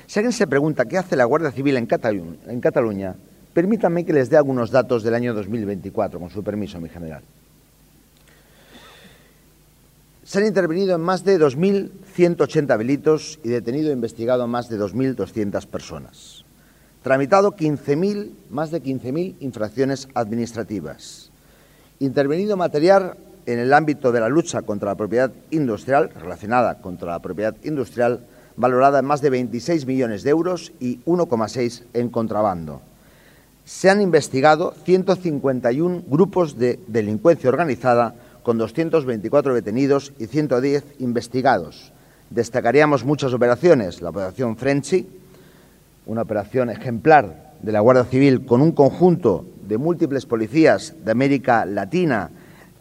J: Si alguien se pregunta qué hace la Guardia Civil en Cataluña, en Cataluña, permítanme que les dé algunos datos del año dos mil veinticuatro, con su permiso, mi general. Se han intervenido en más de dos mil ciento ochenta delitos y detenido e investigado a más de dos mil doscientas personas. Tramitado quince mil, más de quince mil infracciones administrativas. Intervenido material en el ámbito de la lucha contra la propiedad industrial, relacionada contra la propiedad industrial, valorada en más de veintiséis millones de euros y uno coma seis en contrabando. Se han investigado ciento cincuenta y uno grupos de delincuencia organizada con doscientos veinticuatro detenidos y ciento diez investigados. Destacaríamos muchas operaciones, la operación Frenchy, una operación ejemplar de la Guardia Civil con un conjunto de múltiples policías de América Latina,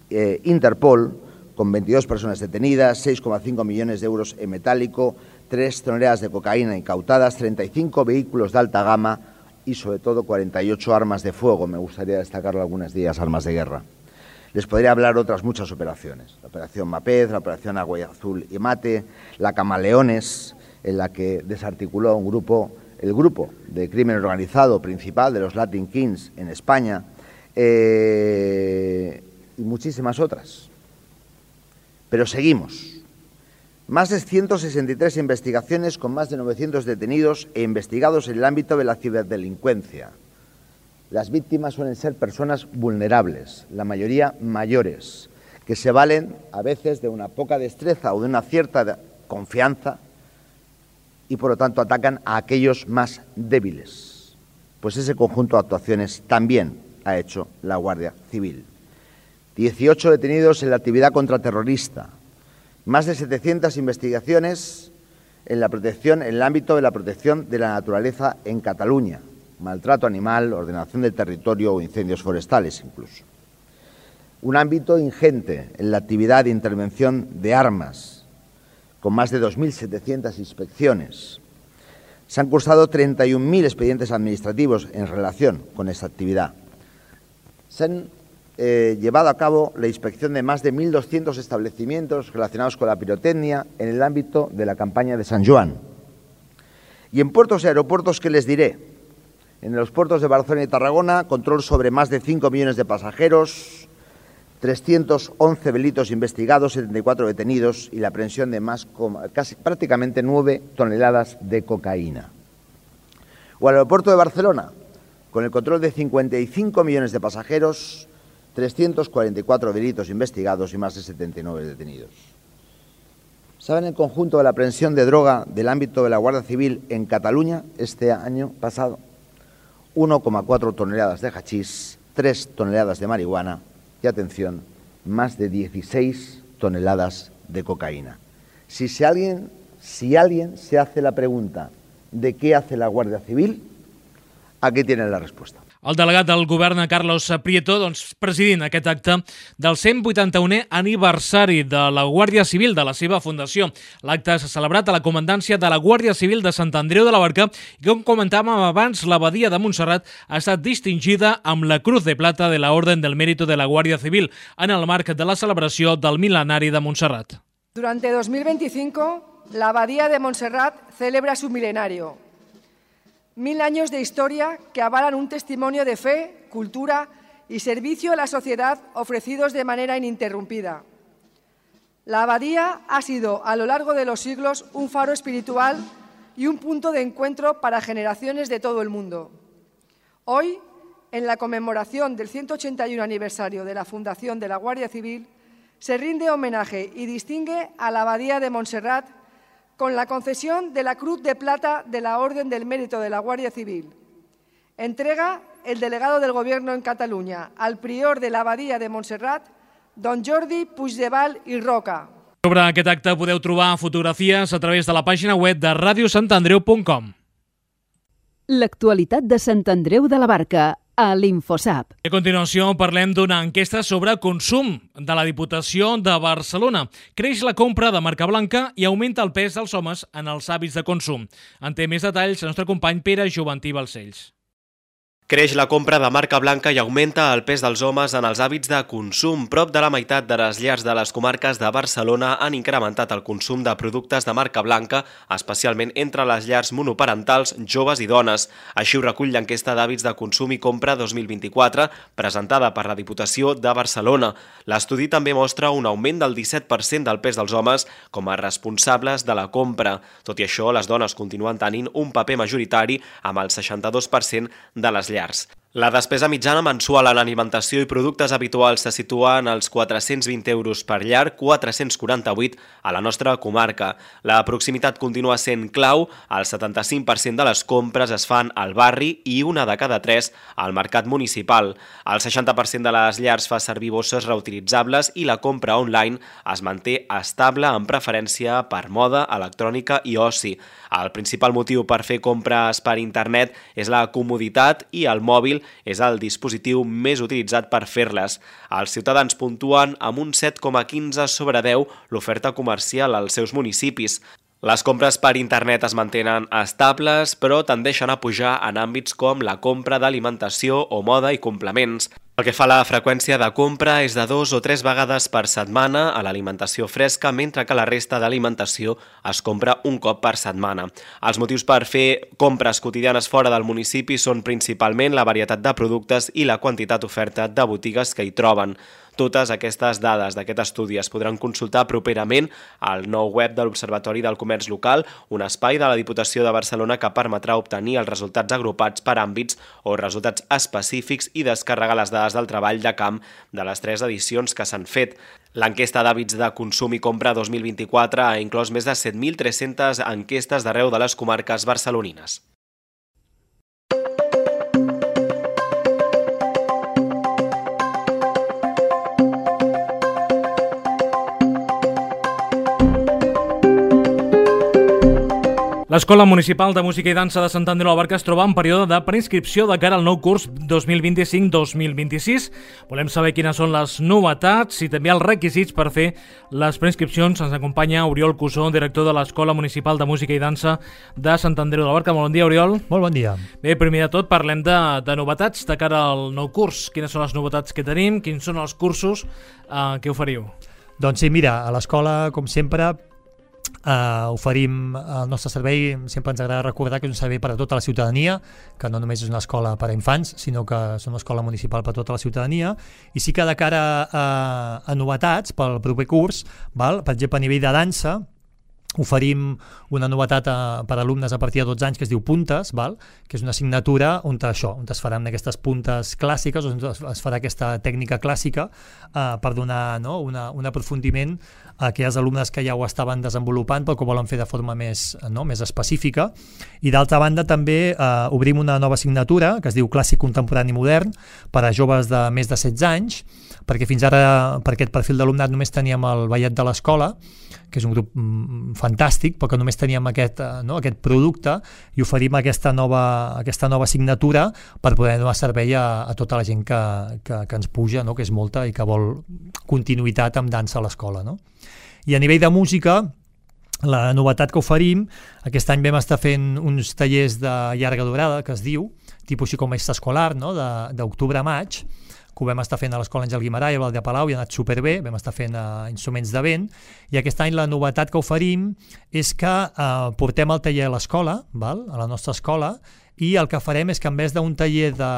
J: eh, Interpol, con veintidós personas detenidas, seis coma cinco millones de euros en metálico, tres toneladas de cocaína incautadas, treinta y cinco vehículos de alta gama y, sobre todo, cuarenta y ocho armas de fuego. Me gustaría destacar algunas de ellas armas de guerra. Les podría hablar otras muchas operaciones. La operación Mapez, la operación Agua Azul y Mate, la Camaleones, en la que desarticuló un grupo, el grupo de crimen organizado principal de los Latin Kings en España, eh, y muchísimas otras. Pero seguimos. Más de ciento sesenta y tres investigaciones con más de novecientos detenidos e investigados en el ámbito de la ciberdelincuencia. Las víctimas suelen ser personas vulnerables, la mayoría mayores, que se valen a veces de una poca destreza o de una cierta confianza y por lo tanto atacan a aquellos más débiles. Pues ese conjunto de actuaciones también ha hecho la Guardia Civil. dieciocho detenidos en la actividad contraterrorista, más de setecientas investigaciones en la protección, en el ámbito de la protección de la naturaleza en Cataluña, maltrato animal, ordenación del territorio o incendios forestales incluso. Un ámbito ingente en la actividad de intervención de armas, con más de dos mil setecientas inspecciones. Se han cursado treinta y un mil expedientes administrativos en relación con esta actividad. Se han eh, llevado a cabo la inspección de más de mil doscientos establecimientos relacionados con la pirotecnia en el ámbito de la campaña de San Joan. Y en puertos y aeropuertos, ¿qué les diré? En los puertos de Barcelona y Tarragona, control sobre más de cinco millones de pasajeros, trescientos once delitos investigados, setenta y cuatro detenidos y la aprehensión de más, casi prácticamente nueve toneladas de cocaína. O al aeropuerto de Barcelona, con el control de cincuenta y cinco millones de pasajeros, trescientos cuarenta y cuatro delitos investigados y más de setenta y nueve detenidos. ¿Saben el conjunto de la aprehensión de droga del ámbito de la Guardia Civil en Cataluña este año pasado? uno coma cuatro toneladas de hachís, tres toneladas de marihuana y, atención, más de dieciséis toneladas de cocaína. Si, si, alguien, si alguien se hace la pregunta de qué hace la Guardia Civil, aquí tienen la respuesta.
C: El delegat del govern, Carlos Prieto, doncs, presidint aquest acte del cent vuitanta-unè aniversari de la Guàrdia Civil, de la seva fundació. L'acte s'ha celebrat a la comandància de la Guàrdia Civil de Sant Andreu de la Barca i, com comentàvem abans, l'abadia de Montserrat ha estat distingida amb la Cruz de Plata de la Orden del Mérito de la Guàrdia Civil en el marc de la celebració del mil·lenari de Montserrat.
K: Durante dos mil veinticinco, la Abadía de Montserrat celebra su milenario. Mil años de historia que avalan un testimonio de fe, cultura y servicio a la sociedad ofrecidos de manera ininterrumpida. La abadía ha sido a lo largo de los siglos un faro espiritual y un punto de encuentro para generaciones de todo el mundo. Hoy, en la conmemoración del ciento ochenta y uno aniversario de la fundación de la Guardia Civil, se rinde homenaje y distingue a la Abadía de Montserrat con la concesión de la Cruz de Plata de la Orden del Mérito de la Guardia Civil. Entrega el delegado del Gobierno en Cataluña al prior de la Abadía de Montserrat, don Jordi Puigdevall i Roca.
C: Sobre aquest acte podeu trobar fotografies a través de la pàgina web de radio sant andreu punt com.
A: L'actualitat de Sant Andreu de la Barca a l'Infosap.
C: A continuació parlem d'una enquesta sobre consum de la Diputació de Barcelona. Creix la compra de marca blanca i augmenta el pes dels homes en els hàbits de consum. En té més detalls el nostre company Pere Joventí Balcells.
F: Creix la compra de marca blanca i augmenta el pes dels homes en els hàbits de consum. Prop de la meitat de les llars de les comarques de Barcelona han incrementat el consum de productes de marca blanca, especialment entre les llars monoparentals, joves i dones. Així ho recull l'enquesta d'hàbits de consum i compra dos mil vint-i-quatre, presentada per la Diputació de Barcelona. L'estudi també mostra un augment del disset per cent del pes dels homes com a responsables de la compra. Tot i això, les dones continuen tenint un paper majoritari amb el seixanta-dos per cent de les llars. La despesa mitjana mensual en alimentació i productes habituals se situa en els quatre-cents vint euros per llar, quatre-cents quaranta-vuit a la nostra comarca. La proximitat continua sent clau, el setanta-cinc per cent de les compres es fan al barri i una de cada tres al mercat municipal. El seixanta per cent de les llars fa servir bosses reutilitzables i la compra online es manté estable amb preferència per moda, electrònica i oci. El principal motiu per fer compres per internet és la comoditat i el mòbil és el dispositiu més utilitzat per fer-les. Els ciutadans puntuen amb un set coma quinze sobre deu l'oferta comercial als seus municipis. Les compres per internet es mantenen estables, però tendeixen a pujar en àmbits com la compra d'alimentació o moda i complements. Pel que fa a la freqüència de compra, és de dos o tres vegades per setmana a l'alimentació fresca, mentre que la resta d'alimentació es compra un cop per setmana. Els motius per fer compres quotidianes fora del municipi són principalment la varietat de productes i la quantitat oferta de botigues que hi troben. Totes aquestes dades d'aquest estudi es podran consultar properament al nou web de l'Observatori del Comerç Local, un espai de la Diputació de Barcelona que permetrà obtenir els resultats agrupats per àmbits o resultats específics i descarregar les dades del treball de camp de les tres edicions que s'han fet. L'enquesta d'hàbits de consum i compra dos mil vint-i-quatre ha inclòs més de set mil tres-centes enquestes d'arreu de les comarques barcelonines.
C: L'Escola Municipal de Música i Dansa de Sant Andreu de la Barca es troba en període de preinscripció de cara al nou curs dos mil vint-i-cinc dos mil vint-i-sis. Volem saber quines són les novetats i també els requisits per fer les preinscripcions. Ens acompanya Oriol Cusó, director de l'Escola Municipal de Música i Dansa de Sant Andreu de la Barca. Molt bon dia, Oriol.
L: Molt bon dia.
C: Bé, primer de tot parlem de, de novetats de cara al nou curs. Quines són les novetats que tenim? Quins són els cursos eh, que oferiu?
L: Doncs sí, mira, a l'escola, com sempre, Uh, oferim el nostre servei. Sempre ens agrada recordar que és un servei per a tota la ciutadania, que no només és una escola per a infants, sinó que és una escola municipal per a tota la ciutadania. I sí que de cara a, a novetats pel proper curs, val? Per exemple, a nivell de dansa, oferim una novetat a, per a alumnes a partir de dotze anys que es diu Puntes, val? Que és una assignatura on això, on es faran aquestes puntes clàssiques, on es farà aquesta tècnica clàssica eh, per donar, no? una, un aprofundiment a aquells alumnes que ja ho estaven desenvolupant però que ho volen fer de forma més, no? més específica. I d'altra banda també eh, obrim una nova assignatura que es diu Clàssic Contemporani Modern per a joves de més de setze anys, perquè fins ara per aquest perfil d'alumnat només teníem el ballet de l'escola, que és un grup fantàstic, però que només teníem aquest, no, aquest producte, i oferim aquesta nova, aquesta nova assignatura per poder donar servei a, a tota la gent que, que, que ens puja, no, que és molta i que vol continuïtat amb dansa a l'escola. No? I a nivell de música, la novetat que oferim, aquest any vam estar fent uns tallers de llarga durada, que es diu, tipus així com extraescolar, no? d'octubre a maig, que ho vam estar fent a l'Escola Àngel Guimarà i a Val de Palau, i ha anat superbé, vam estar fent uh, instruments de vent, i aquest any la novetat que oferim és que uh, portem el taller a l'escola, val? A la nostra escola, i el que farem és que en vez d'un taller de,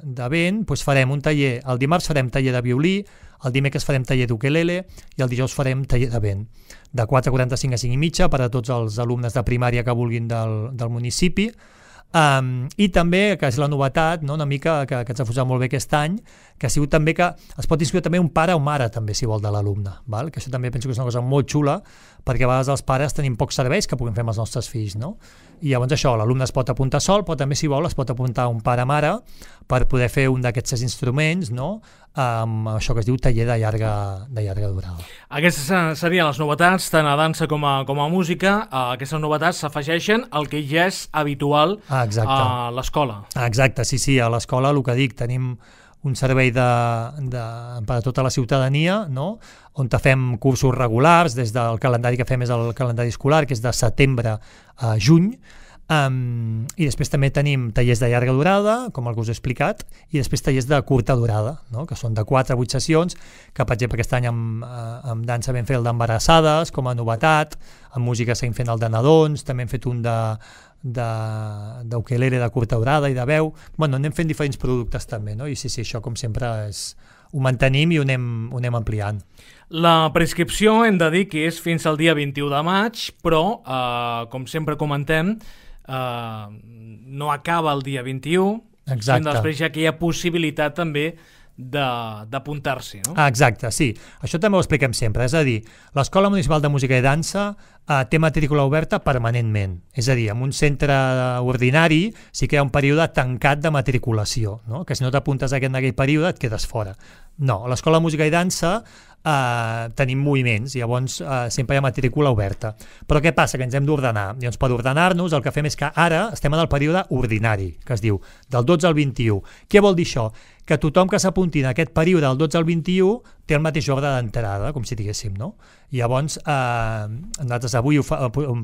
L: de vent, doncs farem un taller, el dimarts farem taller de violí, el dimecres farem taller d'ukelele i el dijous farem taller de vent, de quatre quaranta-cinc a cinc i mitja per a tots els alumnes de primària que vulguin del, del municipi. Um, i també, que és la novetat, no, una mica que, que ens ha posat molt bé aquest any, que ha sigut també que es pot inscriure també un pare o mare també, si vol, de l'alumne, val? Que això també penso que és una cosa molt xula, perquè a vegades els pares tenim pocs serveis que puguem fer amb els nostres fills, no? I llavors això, l'alumne es pot apuntar sol, però també, si vol, es pot apuntar un pare-mare per poder fer un d'aquests ses instruments, no? Amb això que es diu taller de llarga, de llarga durada.
C: Aquestes serien les novetats, tant a dansa com a, com a música. Aquestes novetats s'afegeixen al que ja és habitual
L: ah,
C: a l'escola.
L: Ah, exacte, sí, sí, a l'escola, el que dic, tenim un servei de, de, per a tota la ciutadania, no? On fem cursos regulars, des del calendari que fem és el calendari escolar, que és de setembre a juny, um, i després també tenim tallers de llarga durada, com el que us he explicat, i després tallers de curta durada, no? Que són de quatre a vuit sessions, que per exemple aquest any amb, amb dansa vam fer el d'embarassades com a novetat, amb música seguim fent el de nadons, també hem fet un de d'ukelele de, de curta durada i de veu. Bueno, anem fent diferents productes també, no? I sí, sí, això com sempre és, ho mantenim i ho anem, ho anem ampliant.
C: La prescripció hem de dir que és fins al dia vint-i-u de maig, però, eh, com sempre comentem, eh, no acaba el dia vint-i-u,
L: exacte.
C: Després ja que hi ha possibilitat també d'apuntar-s'hi, no?
L: Ah, exacte, sí. Això també ho expliquem sempre, és a dir, l'Escola Municipal de Música i Dansa eh, té matrícula oberta permanentment, és a dir, en un centre ordinari sí que hi ha un període tancat de matriculació, no? Que si no t'apuntes en aquell període et quedes fora. No, a l'Escola de Música i Dansa eh, tenim moviments, llavors eh, sempre hi ha matrícula oberta. Però què passa? Que ens hem d'ordenar. Llavors, per ordenar-nos, el que fem és que ara estem en el període ordinari, que es diu del dotze al vint-i-u. Què vol dir això? Que tothom que s'apunti en aquest període del dotze al vint-i-u té el mateix ordre d'entrada, com si diguéssim, no? I llavors, eh, nosaltres les d'avui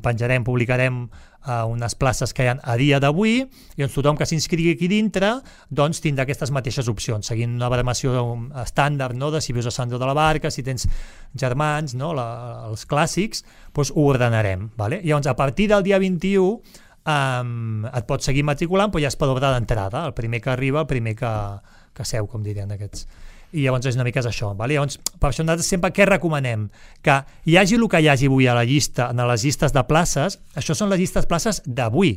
L: penjarem, publicarem uh, unes places que hi ha a dia d'avui, i doncs tothom que s'inscrigui aquí dintre doncs tindrà aquestes mateixes opcions, seguint una baremació estàndard, no? De si vius a Sant Andreu de la Barca, si tens germans, no? La, els clàssics, doncs ho ordenarem. Vale? I llavors, a partir del dia vint-i-u um, et pots seguir matriculant, però ja és per ordre d'entrada, el primer que arriba, el primer que, que seu, com dirien aquests. I llavors és una mica és això. Vale? Llavors, per això nosaltres sempre què recomanem? Que hi hagi el que hi hagi avui a la llista, en les llistes de places, això són les llistes de places d'avui.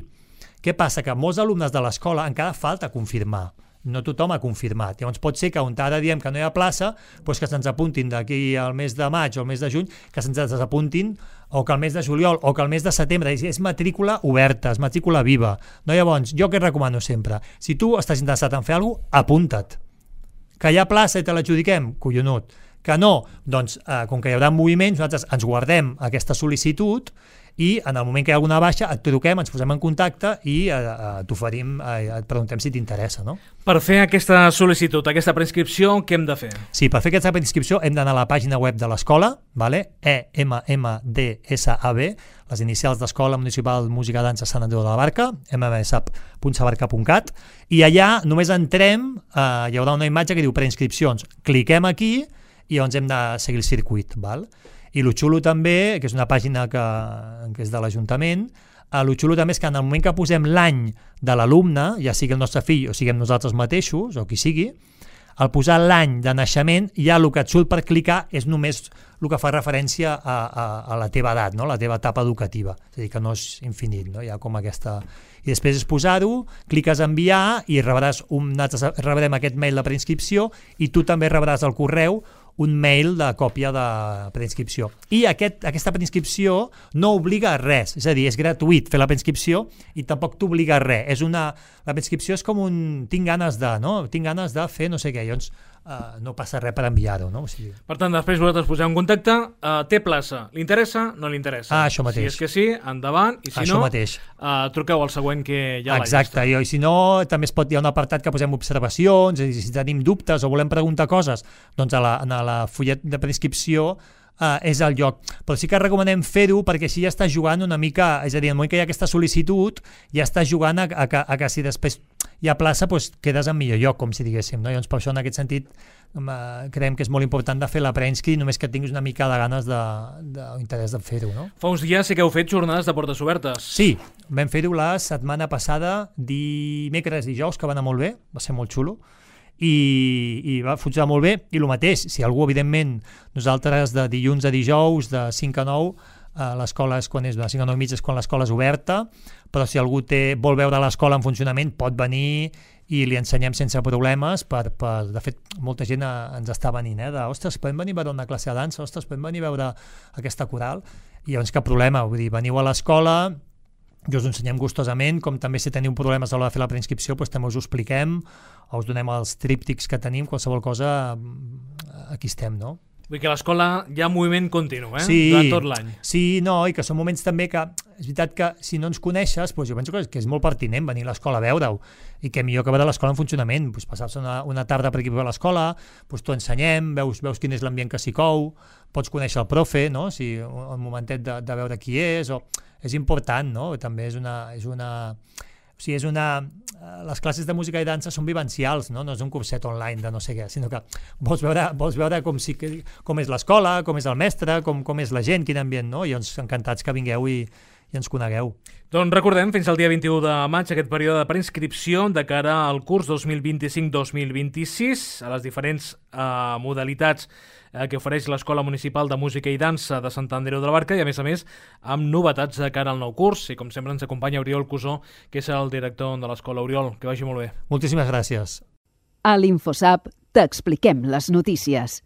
L: Què passa? Que molts alumnes de l'escola encara falta confirmar. No tothom ha confirmat. Llavors pot ser que on ara diem que no hi ha plaça, doncs que se'ns apuntin d'aquí al mes de maig o al mes de juny, que se'ns desapuntin, o que al mes de juliol o que al mes de setembre. És matrícula oberta, és matrícula viva. No, llavors, jo què recomano sempre? Si tu estàs interessat en fer alguna cosa, apunta't. Que hi ha plaça i te l'adjudiquem? Collonut. Que no? Doncs, eh, com que hi haurà moviments, nosaltres ens guardem aquesta sol·licitud i en el moment que hi ha alguna baixa et truquem, ens posem en contacte i eh, eh, t'oferim, eh, et preguntem si t'interessa, no?
C: Per fer aquesta sol·licitud, aquesta preinscripció, què hem de fer?
L: Sí, per fer aquesta preinscripció hem d'anar a la pàgina web de l'escola, vale? E M M D S A B, les inicials d'Escola Municipal de Música i Dansa Sant Andreu de la Barca, m m s a p punt sabarca punt cat, i allà només entrem, eh, hi haurà una imatge que diu preinscripcions. Cliquem aquí i llavors hem de seguir el circuit, val? I el xulo també, que és una pàgina que, que és de l'Ajuntament, el xulo també és que en el moment que posem l'any de l'alumne, ja sigui el nostre fill o siguem nosaltres mateixos, o qui sigui, al posar l'any de naixement, ja el que et surt per clicar és només el que fa referència a, a, a la teva edat, no? La teva etapa educativa. És a dir, que no és infinit, no? Hi ha com aquesta... I després és posar-ho, cliques a enviar i rebràs un... nosaltres rebrem aquest mail de preinscripció i tu també rebràs al correu un mail de còpia de preinscripció. I aquest, aquesta preinscripció no obliga a res, és a dir, és gratuït fer la preinscripció i tampoc t'obliga a res. És una, la preinscripció és com un tinc ganes de, no? Tinc ganes de fer no sé què, llavors uh, no passa res per enviar-ho, no? O sigui...
C: Per tant, després vosaltres poseu en contacte, uh, té plaça, li interessa, no li interessa?
L: Ah, això mateix.
C: Si és que sí, endavant, i si
L: això
C: no,
L: mateix.
C: Uh, truqueu al següent que hi ha a la
L: Exacte,
C: llista.
L: i si no, també es pot, hi ha un apartat que posem observacions, és a dir, si tenim dubtes o volem preguntar coses, doncs a la, a la fullet de preinscripció Uh, és el lloc, però sí que recomanem fer-ho perquè així ja està jugant una mica, és a dir, en el moment que hi ha aquesta sol·licitud ja està jugant a, a, a, a que si després hi ha plaça doncs quedes en millor lloc, com si diguéssim, no? I llavors per això en aquest sentit uh, creiem que és molt important de fer la preinscri només que tinguis una mica de ganes de, de, d'interès de fer-ho, no?
C: Fa uns dies sí que heu fet jornades de portes obertes.
L: Sí, vam fer-ho la setmana passada, dimecres i dijous, que va anar molt bé, va ser molt xulo, i, i va funcionar molt bé, i el mateix, si algú, evidentment, nosaltres de dilluns a dijous, de cinc a nou, eh, l'escola és quan és, de cinc a nou i mig és quan l'escola és oberta, però si algú té, vol veure l'escola en funcionament, pot venir i li ensenyem sense problemes, per, per, de fet, molta gent a, ens està venint, eh, de, ostres, podem venir a veure una classe de dansa, ostres, podem venir a veure aquesta coral, i llavors cap problema, vull dir, veniu a l'escola, jo us ensenyem gustosament, com també si teniu problemes a l'hora de fer la preinscripció, doncs també us ho expliquem, o us donem els tríptics que tenim, qualsevol cosa, aquí estem, no?
C: Vull dir que a l'escola hi ha moviment continu, eh?
L: Sí,
C: durant tot l'any.
L: Sí, no, i que són moments també que, és veritat que si no ens coneixes, doncs jo penso que és, que és molt pertinent venir a l'escola a veure-ho, i que millor que veure l'escola en funcionament, doncs passar-se una, una tarda per aquí a l'escola, doncs t'ho ensenyem, veus, veus quin és l'ambient que s'hi cou, pots conèixer el profe, no? Si un momentet de, de veure qui és, o és important, no? També és una... És una o sigui, és una... Les classes de música i dansa són vivencials, no? No és un curset online de no sé què, sinó que vols veure, vols veure com, si, com és l'escola, com és el mestre, com, com és la gent, quin ambient, no? I ens encantats que vingueu i, i ens conegueu.
C: Doncs recordem, fins al dia vint-i-u de maig, aquest període de preinscripció de cara al curs dos mil vint-i-cinc dos mil vint-i-sis, a les diferents eh, modalitats eh, que ofereix l'Escola Municipal de Música i Dansa de Sant Andreu de la Barca, i a més a més amb novetats de cara al nou curs, i com sempre ens acompanya Oriol Cusó, que és el director de l'escola. Oriol, que vagi molt bé.
L: Moltíssimes gràcies.
A: A l'InfoSap t'expliquem les notícies.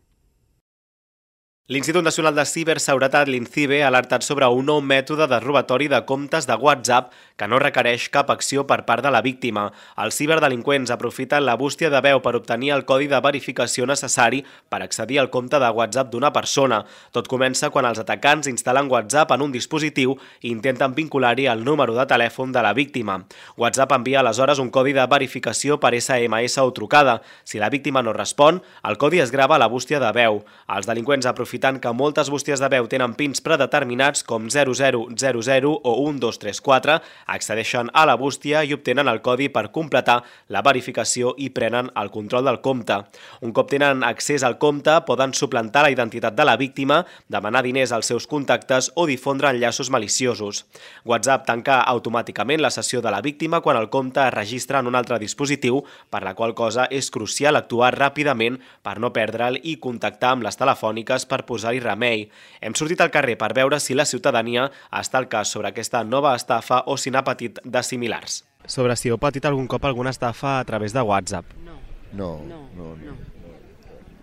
F: L'Institut Nacional de Ciberseguretat, l'INCIBE, ha alertat sobre un nou mètode de robatori de comptes de WhatsApp que no requereix cap acció per part de la víctima. Els ciberdelinqüents aprofiten la bústia de veu per obtenir el codi de verificació necessari per accedir al compte de WhatsApp d'una persona. Tot comença quan els atacants instal·len WhatsApp en un dispositiu i intenten vincular-hi el número de telèfon de la víctima. WhatsApp envia aleshores un codi de verificació per essa ema essa o trucada. Si la víctima no respon, el codi es grava a la bústia de veu. Els delinqüents aprofiten aprofitant que moltes bústies de veu tenen pins predeterminats com zero zero zero zero o un dos tres quatre, accedeixen a la bústia i obtenen el codi per completar la verificació i prenen el control del compte. Un cop tenen accés al compte, poden suplantar la identitat de la víctima, demanar diners als seus contactes o difondre enllaços maliciosos. WhatsApp tanca automàticament la sessió de la víctima quan el compte es registra en un altre dispositiu, per la qual cosa és crucial actuar ràpidament per no perdre'l i contactar amb les telefòniques per posar-hi remei. Hem sortit al carrer per veure si la ciutadania està al cas sobre aquesta nova estafa o si n'ha patit de similars.
M: Sobre si heu patit algun cop alguna estafa a través de WhatsApp.
N: No.
J: No,
N: no,
J: no.
N: no.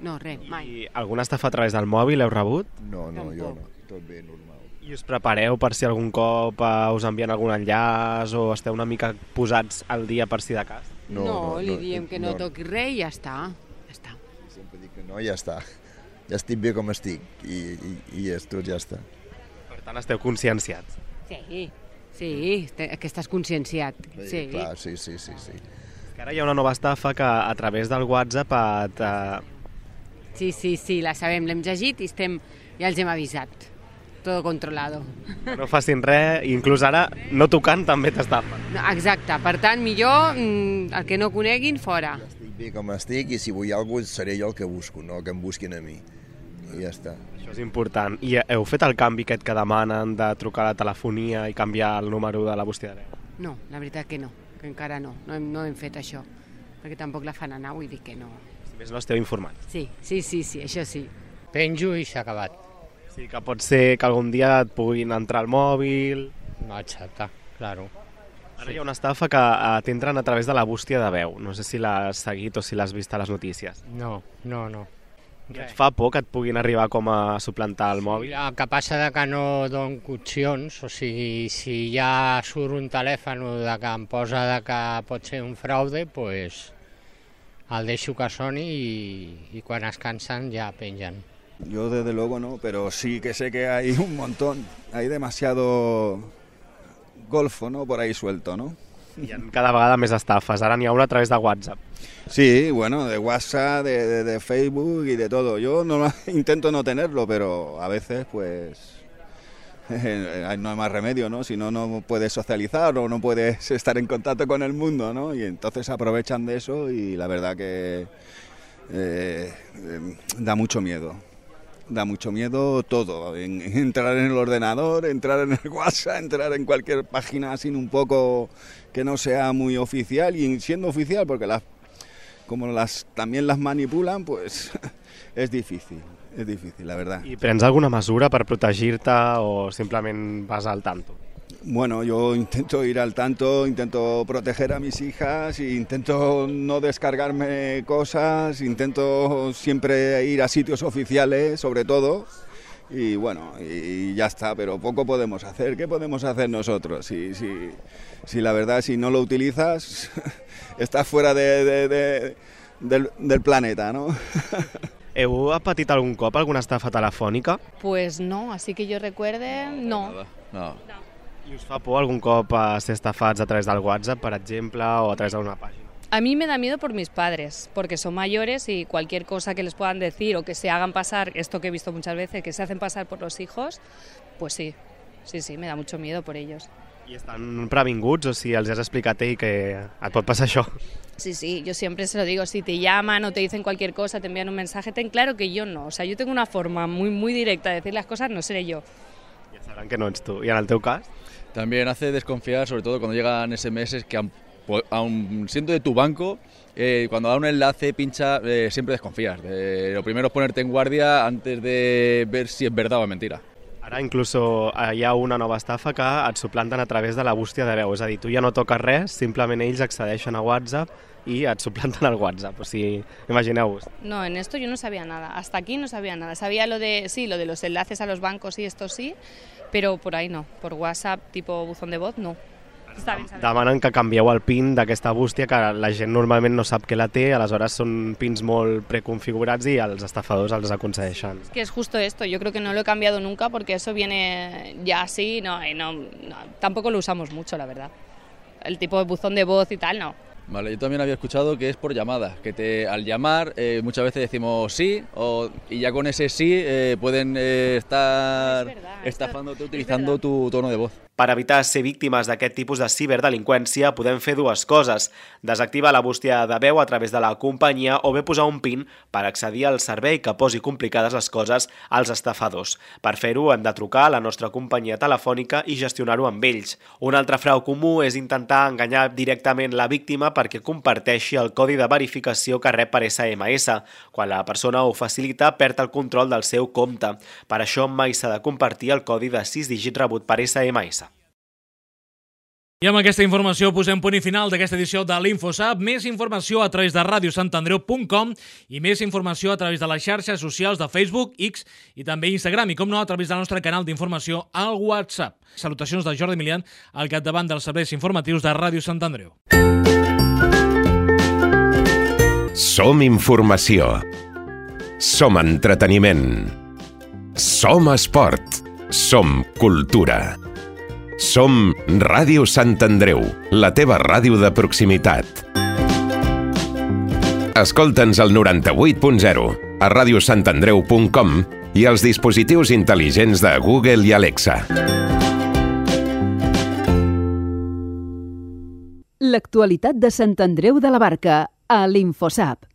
N: No, res, mai.
M: I alguna estafa a través del mòbil heu rebut?
J: No, no, jo no. Tot bé, normal.
M: I us prepareu per si algun cop uh, us envien algun enllaç o esteu una mica posats al dia per si de cas?
N: No, no, no li diem que no, no toqui res i ja està. Ja està.
J: Sempre dic que no i ja està. Ja estic bé com estic i, i, i és tot, ja està.
M: Per tant, esteu conscienciats?
N: Sí, sí, que estàs conscienciat.
J: Bé,
N: sí.
J: Clar, sí, sí, sí, sí.
M: Que ara hi ha una nova estafa que a través del WhatsApp et... Uh...
N: Sí, sí, sí, la sabem, l'hem llegit i estem, ja els hem avisat. Todo controlado.
M: No facin res, inclús ara no tocant també t'estafen.
N: Exacte, per tant, millor el que no coneguin, fora.
J: Ja estic bé com estic i si vull alguna cosa seré jo el que busco, no que em busquin a mi. I ja està.
M: Això és important. I heu fet el canvi aquest que demanen de trucar a la telefonia i canviar el número de la bústia de veu?
N: No, la veritat que no, que encara no, no hem, no hem fet això, perquè tampoc la fan anar, vull dir que no.
M: Si més no esteu informats.
N: Sí, sí, sí, sí, això sí.
O: Penjo i s'ha acabat.
M: Sí, que pot ser que algun dia et puguin entrar al mòbil...
O: No, exacte, claro.
M: Ara sí. Hi ha una estafa que t'entren a través de la bústia de veu. No sé si l'has seguit o si l'has vist a les notícies.
O: No, no, no.
M: I et fa por que et puguin arribar com a suplantar el mòbil?
O: El que passa de que no dono opcions, o sigui, si ja surt un telèfon de que em posa de que pot ser un fraude, pues el deixo que soni i, i quan es cansen ja pengen.
P: Yo desde luego no, pero sí que sé que hay un montón, hay demasiado golfo, ¿no? Por ahí suelto, ¿no?
M: Hi ha cada vegada més estafes, ara n'hi ha una a través de WhatsApp.
P: Sí, bueno, de WhatsApp, de, de, de Facebook y de todo. Yo no, intento no tenerlo, pero a veces pues eh, no hay más remedio, ¿no? Si no, no puedes socializar o no puedes estar en contacto con el mundo, ¿no? Y entonces aprovechan de eso y la verdad que eh, eh, da mucho miedo. Da mucho miedo todo, en, entrar en el ordenador, entrar en el WhatsApp, entrar en cualquier página sin un poco que no sea muy oficial y siendo oficial, porque las, como las también las manipulan, pues es difícil, es difícil, la verdad.
M: I prens alguna mesura per protegir-te o simplement vas al tanto?
P: Bueno, yo intento ir al tanto, intento proteger a mis hijas, intento no descargarme cosas, intento siempre ir a sitios oficiales, sobre todo, y bueno, y ya está, pero poco podemos hacer. ¿Qué podemos hacer nosotros? Si, si, si la verdad, si no lo utilizas, estás fuera de, de, de, del, del planeta, ¿no?
M: Heu patit algun cop alguna estafa telefònica?
Q: Pues no, así que yo recuerde, no.
P: No.
M: I us fa por algun cop a ser estafats a través del WhatsApp, per exemple, o a través d'una pàgina?
Q: A mí me da miedo por mis padres, porque son mayores y cualquier cosa que les puedan decir o que se hagan pasar, esto que he visto muchas veces, que se hacen pasar por los hijos, pues sí, sí, sí, me da mucho miedo por ellos.
M: I estan previnguts o si els has explicat ell que et pot passar això?
Q: Sí, sí, yo siempre se lo digo, si te llaman o te dicen cualquier cosa, te envían un mensaje, ten claro que yo no, o sea, yo tengo una forma muy, muy directa de decir las cosas, no seré yo.
M: Ja sabran que no ets tu. I en el teu cas?
R: También hace desconfiar, sobre todo cuando llegan ese eme ese que aun, aun siendo de tu banco, eh, cuando da un enlace, pincha, eh, siempre desconfías. Eh, lo primero es ponerte en guardia antes de ver si es verdad o es mentira.
M: Ara incluso hi ha una nova estafa que et suplanten a través de la bústia de veu, és a dir, tu ja no toques res, simplement ells accedeixen a WhatsApp i et suplanten el WhatsApp, o sigui, imagineu-vos.
Q: No, en esto yo no sabía nada, hasta aquí no sabía nada, sabía lo de, sí, lo de los enlaces a los bancos y esto sí, pero por ahí no, por WhatsApp tipo buzón de voz no. Està ben,
M: demanen que canvieu el PIN d'aquesta bústia, que la gent normalment no sap que la té, aleshores són pins molt preconfigurats i els estafadors els aconsegueixen.
Q: Es que es justo esto, yo creo que no lo he cambiado nunca porque eso viene ya así, no, no, no, tampoco lo usamos mucho, la verdad. El tipo de buzón de voz y tal, no.
R: Vale, yo también había escuchado que es por llamadas, que te, al llamar eh, muchas veces decimos sí o, y ya con ese sí eh, pueden eh, estar estafándote utilizando tu tono de voz.
F: Per evitar ser víctimes d'aquest tipus de ciberdelinqüència podem fer dues coses: desactivar la bústia de veu a través de la companyia o bé posar un PIN per accedir al servei que posi complicades les coses als estafadors. Per fer-ho hem de trucar a la nostra companyia telefònica i gestionar-ho amb ells. Un altre frau comú és intentar enganyar directament la víctima perquè comparteixi el codi de verificació que rep per esse eme esse. Quan la persona ho facilita, perd el control del seu compte. Per això mai s'ha de compartir el codi de sis dígits rebut per esse eme esse.
C: I amb aquesta informació posem punt i final d'aquesta edició de l'InfoSap. Més informació a través de ràdio sant andreu punt com i més informació a través de les xarxes socials de Facebook, X i també Instagram i, com no, a través del nostre canal d'informació al WhatsApp. Salutacions de Jordi Milian, al capdavant dels serveis informatius de Ràdio Sant Andreu.
E: Som informació. Som entreteniment. Som esport. Som cultura. Som Ràdio Sant Andreu, la teva ràdio de proximitat. Escolta'ns al noranta-vuit punt zero, a ràdio sant andreu punt com i als dispositius intel·ligents de Google i Alexa.
A: L'actualitat de Sant Andreu de la Barca, a l'InfoSap.